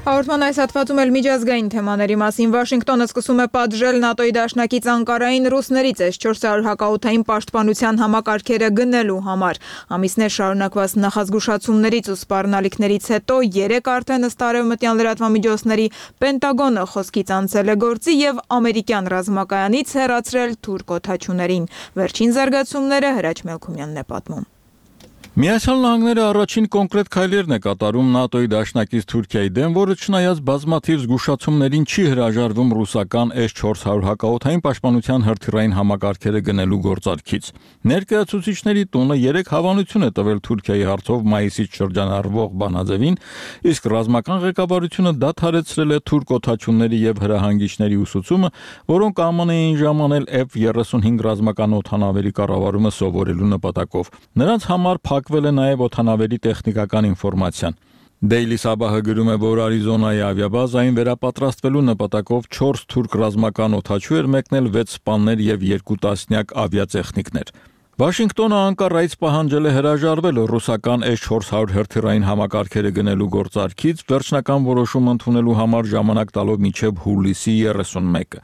Հաղորդման այս հատվածում էլ միջազգային թեմաների մասին Վաշինգտոնը սկսում է պատժել ՆԱՏՕ-ի դաշնակից Անկարային ռուսներից էս չորս հարյուր հակաօդային պաշտպանության համակարգերը գնելու համար։ Ամիսներ շարունակված նախազգուշացումներից ու սպառնալիքներից հետո երեք արդեն ըստ արևմտյան լրատվամիջոցների Պենտագոնը խոսքից անցել է գործի եւ ամերիկյան ռազմակայանից հեռացրել թուրք օդաչուներին։ Վերջին զարգացումները Հրաչ Մելքումյանն է պատմում։ Միացյալ Նահանգները առաջին կոնկրետ քայլերն է կատարում ՆԱՏՕ-ի դաշնակից Թուրքիայի դեմ, որը չնայած բազմաթիվ զգուշացումներին չի հրաժարվում ռուսական էս չորս հարյուր հակաօդային պաշտպանության հրթիռային համակարգերը գնելու գործարքից։ Ներկայացուցիչների տունը երեք հավանություն է տվել Թուրքիայի հարցով մայիսից շրջանառվող բանաձևին, իսկ ռազմական ղեկավարությունը դադարեցրել է թուրք օդաչուների եւ հրահանգիչների ուսուցումը, որոնք Ա Մ Ն-էին ժամանել F երեսունհինգ ռազմական օդանավերի կառավարումը սովորելու նպատակով։ Նրանց համար փակվել է նաև օդանավերի տեխնիկական ինֆորմացիան։ Daily Sabah-ը գրում է, որ Արիզոնայի ավիաբազային վերապատրաստվելու նպատակով չորս թուրք ռազմական օդաչու էր մեկնել վեց սպաներ եւ երկու տասնյակ ավիատեխնիկներ։ Վաշինգտոնը Անկարայից պահանջել է հրաժարվել ռուսական էս չորս հարյուր հրթիռային համակարգերը գնելու գործարքից, վերջնական որոշում ընդունելու համար ժամանակ տալով մինչև հուլիսի երեսունմեկը։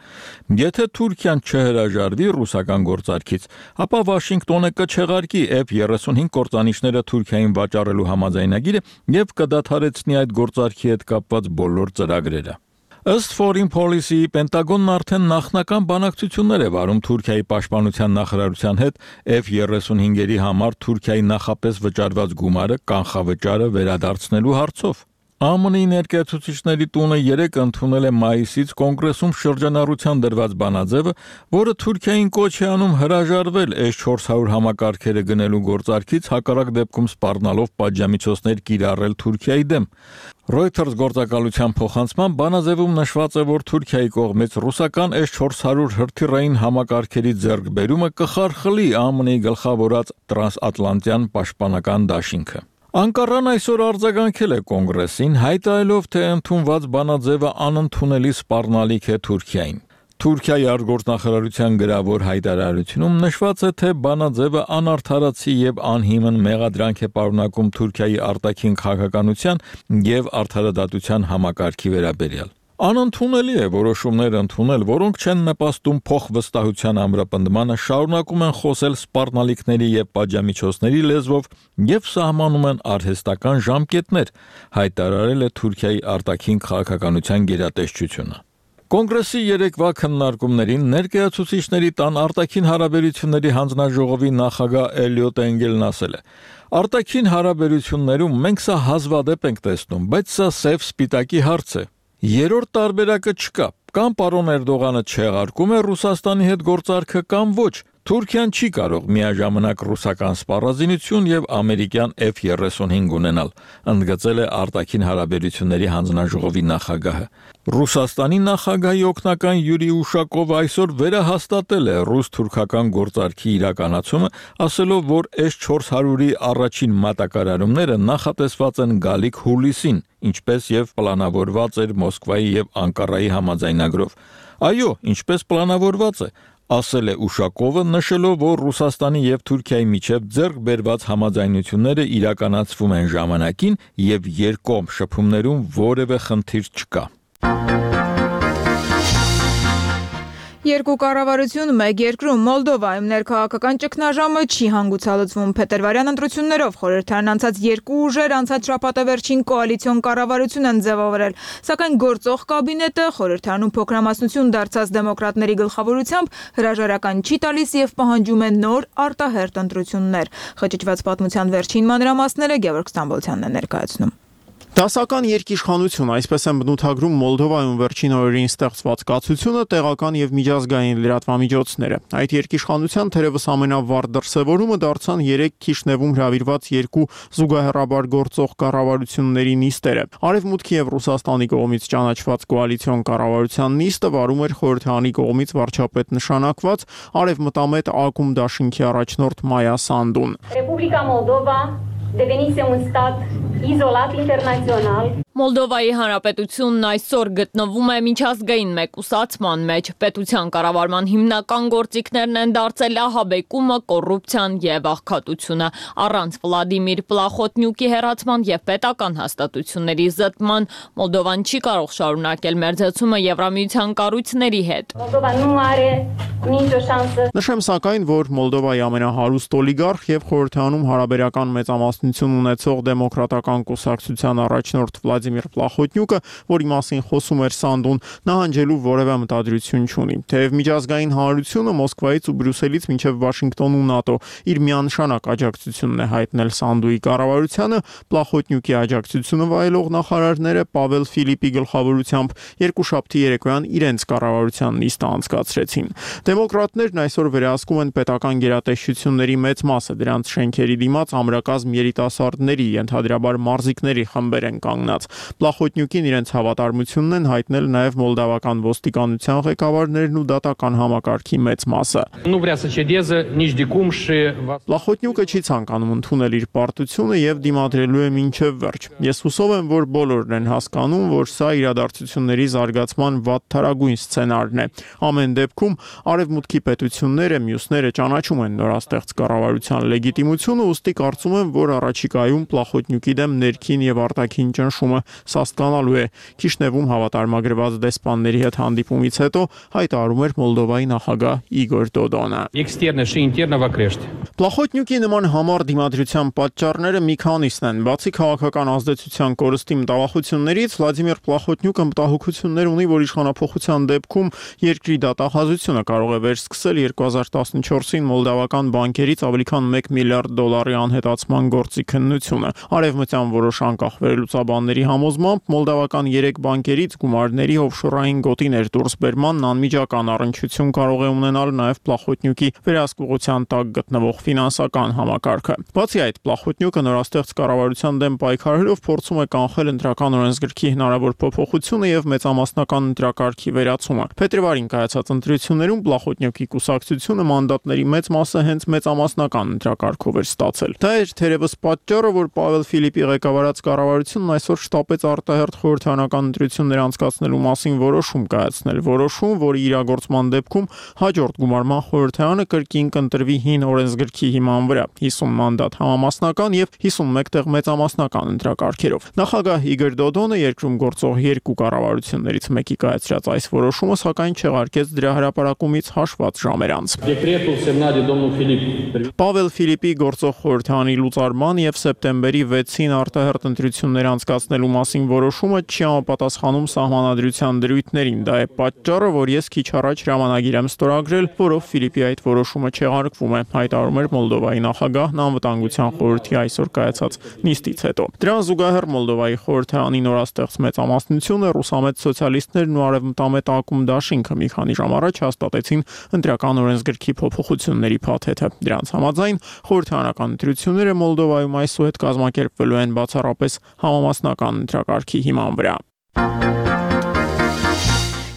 Եթե Թուրքիան չհրաժարվի ռուսական գործարքից, ապա Վաշինգտոնը կչեղարկի F երեսունհինգ կործանիչները Թուրքիային վաճառելու համաձայնագիրը եւ կդադարեցնի այդ գործարքի հետ կապված բոլոր ծրագրերը։ Ըստ Foreign Policy-ի Պենտագոնն արդեն նախնական բանակցություններ է վարում Թուրքիայի պաշտպանության նախարարության հետ F երեսունհինգերի համար Թուրքիայի նախապես վճարված գումարը կանխավճարը վերադարձնելու հարցով։ Ա Մ Ն-ի ներկայացուցիչների տունը երեք ընդունել է մայիսից կոնգրեսում շրջանառության դրված բանաձևը, որը Թուրքիային կոչ է անում հրաժարվել էս չորս հարյուր համակարգերը գնելու գործարքից, հակառակ դեպքում սպառնալով պատժամիջոցներ կիրառել Թուրքիայի դեմ։ Reuters գործակալության փոխանցման բանաձևում նշված է, որ Թուրքիայի կողմից ռուսական էս չորս հարյուր հրթիռային համակարգերի ձեռքբերումը կխարխլի Ա Մ Ն-ի գլխավորած տրանսատլանտյան պաշտպանական դաշինքը։ Անկարան այսօր արձագանքել է կոնգրեսին, հայտարարելով, թե ընդունված բանաձևը անընդունելի սպառնալիք է Թուրքիային։ Թուրքիայի արտգործնախարարության գրավոր հայտարարությունում նշված է, թե բանաձևը անարդարացի եւ անհիմն մեղադրանք է պարունակում Թուրքիայի արտաքին քաղաքականության եւ արդարադատության համակարգի վերաբերյալ։ Անընդունելի է որոշումներ ընդունել, որոնք չեն նպաստում փոխվստահության ամրապնդմանը, շարունակում են խոսել սպառնալիքների եւ պատժամիջոցների լեզվով եւ սահմանում են արհեստական ժամկետներ, հայտարարել է Թուրքիայի արտաքին քաղաքականության գերատեսչությունը։ Կոնգրեսի երեկվա քննարկումներին ներկայացուցիչների տան արտաքին հարաբերությունների հանձնաժողովի նախագահ Էլիոտ Էնգելն ասել է. «Արտաքին հարաբերություններում մենք սա հազվադեպ ենք տեսնում, բայց սա սև սպիտակի հարց է։ Երրորդ տարբերակը չկա, կամ պարոն Էրդողանը չեղարկում է Ռուսաստանի հետ գործարքը կամ ոչ։ Թուրքիան չի կարող միաժամանակ ռուսական սպառազինություն եւ ամերիկյան F երեսունհինգ ունենալ», ընդգծել է արտաքին հարաբերությունների հանձնաժողովի նախագահը։ Ռուսաստանի նախագահի օգնական Յուրի Ուշակովը այսօր վերահաստատել է ռուս-թուրքական գործարքի իրականացումը, ասելով, որ էս չորս հարյուրի առաջին մատակարարումները նախատեսված են գալիք հուլիսին, ինչպես եւ պլանավորված էր Մոսկվայի եւ Անկարայի համաձայնագրով։ Այո, ինչպես պլանավորված է, ասել է Ուշակովը, նշելով, որ Ռուսաստանի եւ Թուրքիայի միջև ձեռք բերված համաձայնությունները իրականացվում են ժամանակին եւ երկկողմ շփումներում որևէ խնդիր չկա։ Երկու կառավարություն մեկ երկրում Մոլդովայում ներքաղաքական ճգնաժամը չի հանգուցալուծվում։ Փետրվարյան ընտրություններով խորհրդարան անցած երկու ուժեր անցած շաբաթը վերջին կոալիցիոն կառավարություն են ձևավորել, սակայն գործող կաբինետը խորհրդարանում փոքրամասնություն դարձած դեմոկրատների գլխավորությամբ հրաժարական չի տալիս եւ պահանջում է նոր արտահերթ ընտրություններ։ Խճճված պատմության վերջին մանրամասները Գևորգ Ստամբոլցյանն է ներկայացնում։ Դասական երկիշխանություն, այսպես են բնութագրում Մոլդովայում վերջին օրերին ստեղծված կացությունը, տեղական եւ միջազգային լրատվամիջոցները։ Այդ երկիշխանության թերևս ամենավառ դրսևորումը դարձան երեք Քիշնևում հրավիրված երկու զուգահեռաբար գործող կառավարությունների նիստերը։ Արևմուտքի եւ Ռուսաստանի կողմից ճանաչված կոալիցիոն կառավարության նիստը վարում էր խորհրդարանի կողմից վարչապետ նշանակված արևմտամետ ակումբ դաշինքի առաջնորդ Մայա Սանդուն։ Ռեպուբլիկա Մոլդովա devenise un stat izolat internațional. Մոլդովայի հանրապետությունն այսօր գտնվում է միջազգային մեկուսացման մեջ։ Պետության կառավարման հիմնական գործիքներն են դարձել ահաբեկումը, կոռուպցիան եւ աղքատությունը։ Առանց Վլադիմիր Պլախոտնյուկի հեռացման եւ պետական հաստատությունների զտման Մոլդովան չի կարող շարունակել մերձեցումը Եվրամիության կառույցների հետ։ Նշեմ սակայն, որ Մոլդովայի ամենահարուստ օլիգարխ եւ խորհրդարանում հարաբերական մեծամասնություն ունեցող դեմոկրատական կուսակցության առաջնորդ Վլադիմիր Պլախոտնյուկը, որի մասին խոսում էր Սանդուն, նահանջելու որևէ մտադրություն չունի։ Թեև միջազգային հանրությունը Մոսկվայից ու Բրյուսելից մինչև Վաշինգտոն ու ՆԱՏՕ իր միանշանակ աջակցությունն է հայտնել Սանդուի կառավարությանը, Պլախոտնյուկի աջակցությունը վայելող նախարարները Պավել Ֆիլիպի գլխավորությամբ երկուշաբթի երեկոյան իրենց կառավարության նիստը անցկացրեցին։ Դեմոկրատներն այսօր վերահսկում են պետական գերատեսչությունների մեծ մասը, դրանց շենքերի դիմաց ամրակազմ երիտասարդների, ենթադրաբար մարզիկների խմբեր են կանգնած։ Պլախոտնյուկին իրենց հավատարմությունն են հայտնել նաև մոլդավական ոստիկանության ղեկավարներն ու դատական համակարգի մեծ մասը։ Պլախոտնյուկը չի ցանկանում ընդունել իր պարտությունը եւ դիմադրելու է մինչեւ վերջ։ Ես հուսով եմ, որ բոլորն են հասկանում, որ սա իրադարձությունների զարգացման վատթարագույն սցենարն է։ Ամեն դեպքում արևմուտքի պետությունները, մյուսները ճանաչում են նորաստեղծ կառավարության լեգիտիմությունը, ուստի կարծում եմ, որ առաջիկայում Պլախոտնյուկի դեմ ներքին եւ արտաքին ճնշումը սաստկանալու է։ Քիշնևում հավատարմագրված դեսպանների հետ հանդիպումից հետո հայտարարում էր Մոլդովայի նախագահ Իգոր Դոդոնը։ Պլախոտնյուկի նման համառ դիմադրության պատճառները մի քանիսն են։ Բացի քաղաքական ազդեցության կորստի մտավախություններից, Վլադիմիր Պլախոտնյուկը մտահոգություններ ունի, որ իշխանափոխության դեպքում երկրի դատախազությունը կարող է վերսկսել երկու հազար տասնչորսին մոլդավական բանկերից ավելի քան մեկ միլիարդ դոլարի անհետացման գործի քննությունը։ Արևմտյան որոշ անկախ վերլուծաբանների համոզմամբ մոլդավական երեք բանկերից գումարների օֆշորային գոտիներ դուրսբերմանն անմիջական առնչություն կարող է ունենալ նաև Պլախոտնյուկի վերահսկողության տակ գտնվող ֆինանսական համակարգը։ Բացի այդ, Պլախոտնյուկը նորաստեղծ կառավարության դեմ պայքարելով փորձում է կանխել ընտրական օրենսգրքի հնարավոր փոփոխությունը եւ մեծամասնական ընտրակարգի վերացումը։ Փետրվարին կայացած ընտրություններում Պլախոտնյուկի կուսակցությունը մանդատների մեծ մասը հենց մեծամասնական ընտրակարգով էր ստացել։ Դա էր թերևս պատճառը, որ Պավել Ֆիլիպի ղեկավարած կառավարությունն այսօր շտապեց արտահերթ խորհրդարանական ընտրություններ անցկացնելու մասին որոշում կայացնել, որոշում, որի իրագործման դեպքում հաջորդ գումարման խորհրդարանը կրկին կընտրվի հին օրենսգրքի հիման վրա՝ հիսուն մանդատ համամասնական եւ հիսունմեկ տեղ մեծամասնական ընտրակարգերով։ Նախագահ Իգոր Դոդոնը երկրում գործող երկու կառավարություններից մեկի կայացրած այս որոշումը սակայն չեղարկեց դրա հրապարակումից հաշված ժամեր անց։ Պավել Ֆիլիպի գործող խորհրդարանի լուծարման եւ սեպտեմբերի վեցին արտահերթ ընտրություններ անցկացնելու մասին որոշումը չի համապատասխանում սահմանադրության դրույթներին։ Դա է պատճառը, որ ես քիչ առաջ հրամանագիր եմ ստորագրել, որով Ֆիլիպի այդ որոշումը չեղարկվում է, հայտարարում էր Մոլդովայի նախագահն անվտանգության խորհրդի այսօր կայացած նիստից հետո։ Դրան զուգահեռ Մոլդովայի խորհրդարանի նորաստեղծ մեծամասնությունը, ռուսամետ սոցիալիստներն ու արևմտամետ ակումբ դաշինքը մի քանի ժամ առաջ հաստատեցին ընտրական օրենսգրքի փոփոխությունների փաթեթը։ Դրանց համաձայն խորհրդարանական ընտրությունները Մոլդովայում այսուհետ կազմակերպվելու են բացառապես համամասնական ընտրակարգի հիման վրա։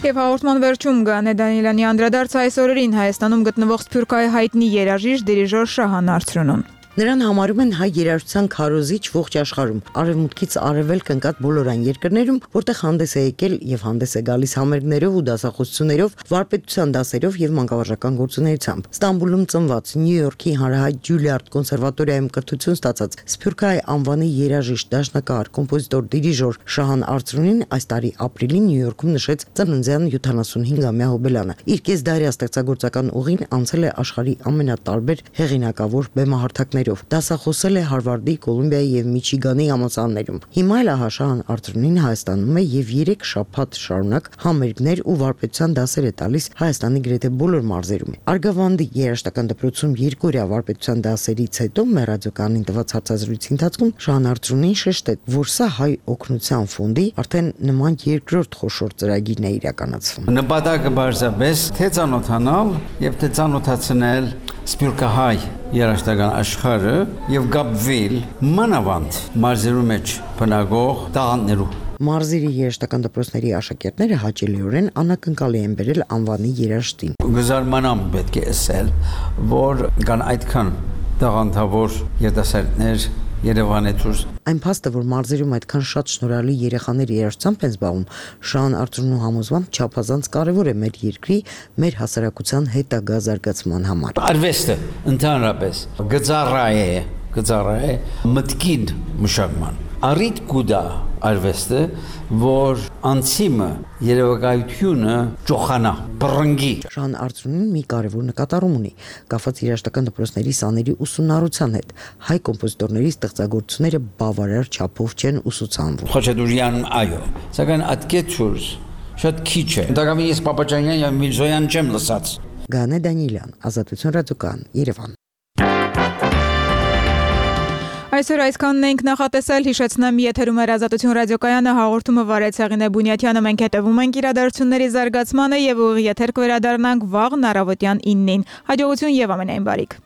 Եվ հաղորդման վերջում Գանե Դանիելյանի անդրադարձ այս օրերին Հայաստանում գտնվող Սփյուռքահայ հայտնի երաժիշտ դիրիժոր Շահան Արծրունուն։ Նրան համարում են հայ երաժշտության քարոզիչ ողջ աշխարհում, արևմուտքից արևելք ընկած բոլոր այն երկրներում, որտեղ հանդես է եկել եւ հանդես է գալիս համերգներով ու դասախոսություններով, վարպետության դասերով եւ մանկավարժական գործունեությամբ։ Ստամբուլում ծնված, Նյու Յորքի հանրահայտ Ջուլիարդ կոնսերվատորիայում կրթություն ստացած Սփյուռքահայ անվանի երաժիշտ, դաշնակահար, կոմպոզիտոր, դիրիժոր Շահան Արծրունին այս տարի ապրիլին Նյու Յորքում նշեց ծննդյան յոթանասունհինգամյա հոբելանը։ Իր կեսդարյա ստեղծագործական ուղին անցել է աշխարհի ամենատարբեր հեղինակավոր բեմահարթակներով։ Դասախոսել է Հարվարդի, Կոլումբիայի եւ Միչիգանի համալսարաններում։ Հիմա էլ Շահան Արծրունին Հայաստանում է եւ երեք շաբաթ շարունակ համերգներ ու վարպետության դասեր է տալիս Հայաստանի գրեթե բոլոր մարզերում։ Արգավանդի երաժշտական դպրոցում երկօրյա վարպետության դասերից հետո մեր ռադիոկայանին տված հարցազրույցի ընթացքում Շահան Արծրունին շեշտեց, որ սա հայ օգնության ֆոնդի արդեն նման երկրորդ խոշոր ծրագիրն է իրականացվում։ Նպատակը բարձրապես թե ծանոթանալ եւ թե ծանոթացնել սփյուռքահայ երաժշտական աշխարհը եւ գապվել մանավանդ մարզերու մեջ բնակող տաղանդներու։ Մարզերի երաժշտական դպրոցների աշակերտները հաճելիորեն անակնկալ են բերել անվանի երաժշտին։ Գզարմանամ պետք է ասել, որ կան այդքան տաղանդավոր երիտասարդներ Երևանի դուրս։ Այն փաստը, որ մարզերում այդքան շատ շնորհալի երեխաներ երաժշտությամբ են զբաղվում, Շահան Արծրունու համոզմամբ չափազանց կարևոր է մեր երկրի, մեր հասարակության հետագա զարգացման համար։ Արվեստը ընդհանրապես գծառա է, գծառա է մտքին մշակման։ Արիտ կուդա արվեստը, որ անցիմը երևակայությունը ճոխանա, բռնգի։ Շահան Արծրունին մի կարևոր նկատառում ունի, կապված երաժշտական դպրոցների սաների ուսումնառության հետ։ Հայ կոմպոզիտորների ստեղծագործությունները բավարար չափով չեն ուսուցանվում։ Խաչատուրյան այո, սակայն ատկեցուրս շատ քիչ է։ Դակամի ես Պապաջանյան եւ Միլզոյան չեմ լսած։ Գանե Դանիելյան, Ազատություն ռադիոկայան, Երևան։ Այսօր այսքանն ենք նախատեսել, հիշեցնեմ եթերում էր Ազատություն ռադիոկայանը, հաղորդումը վարեց Հեղինե Բունյաթյանը, մենք հետևում ենք իրադարձությունների զարգացմանը եւ ուղիղ եթեր կվերադառնանք վաղ առավոտյան իննին։ Հաջողություն եւ ամենայն բարիք։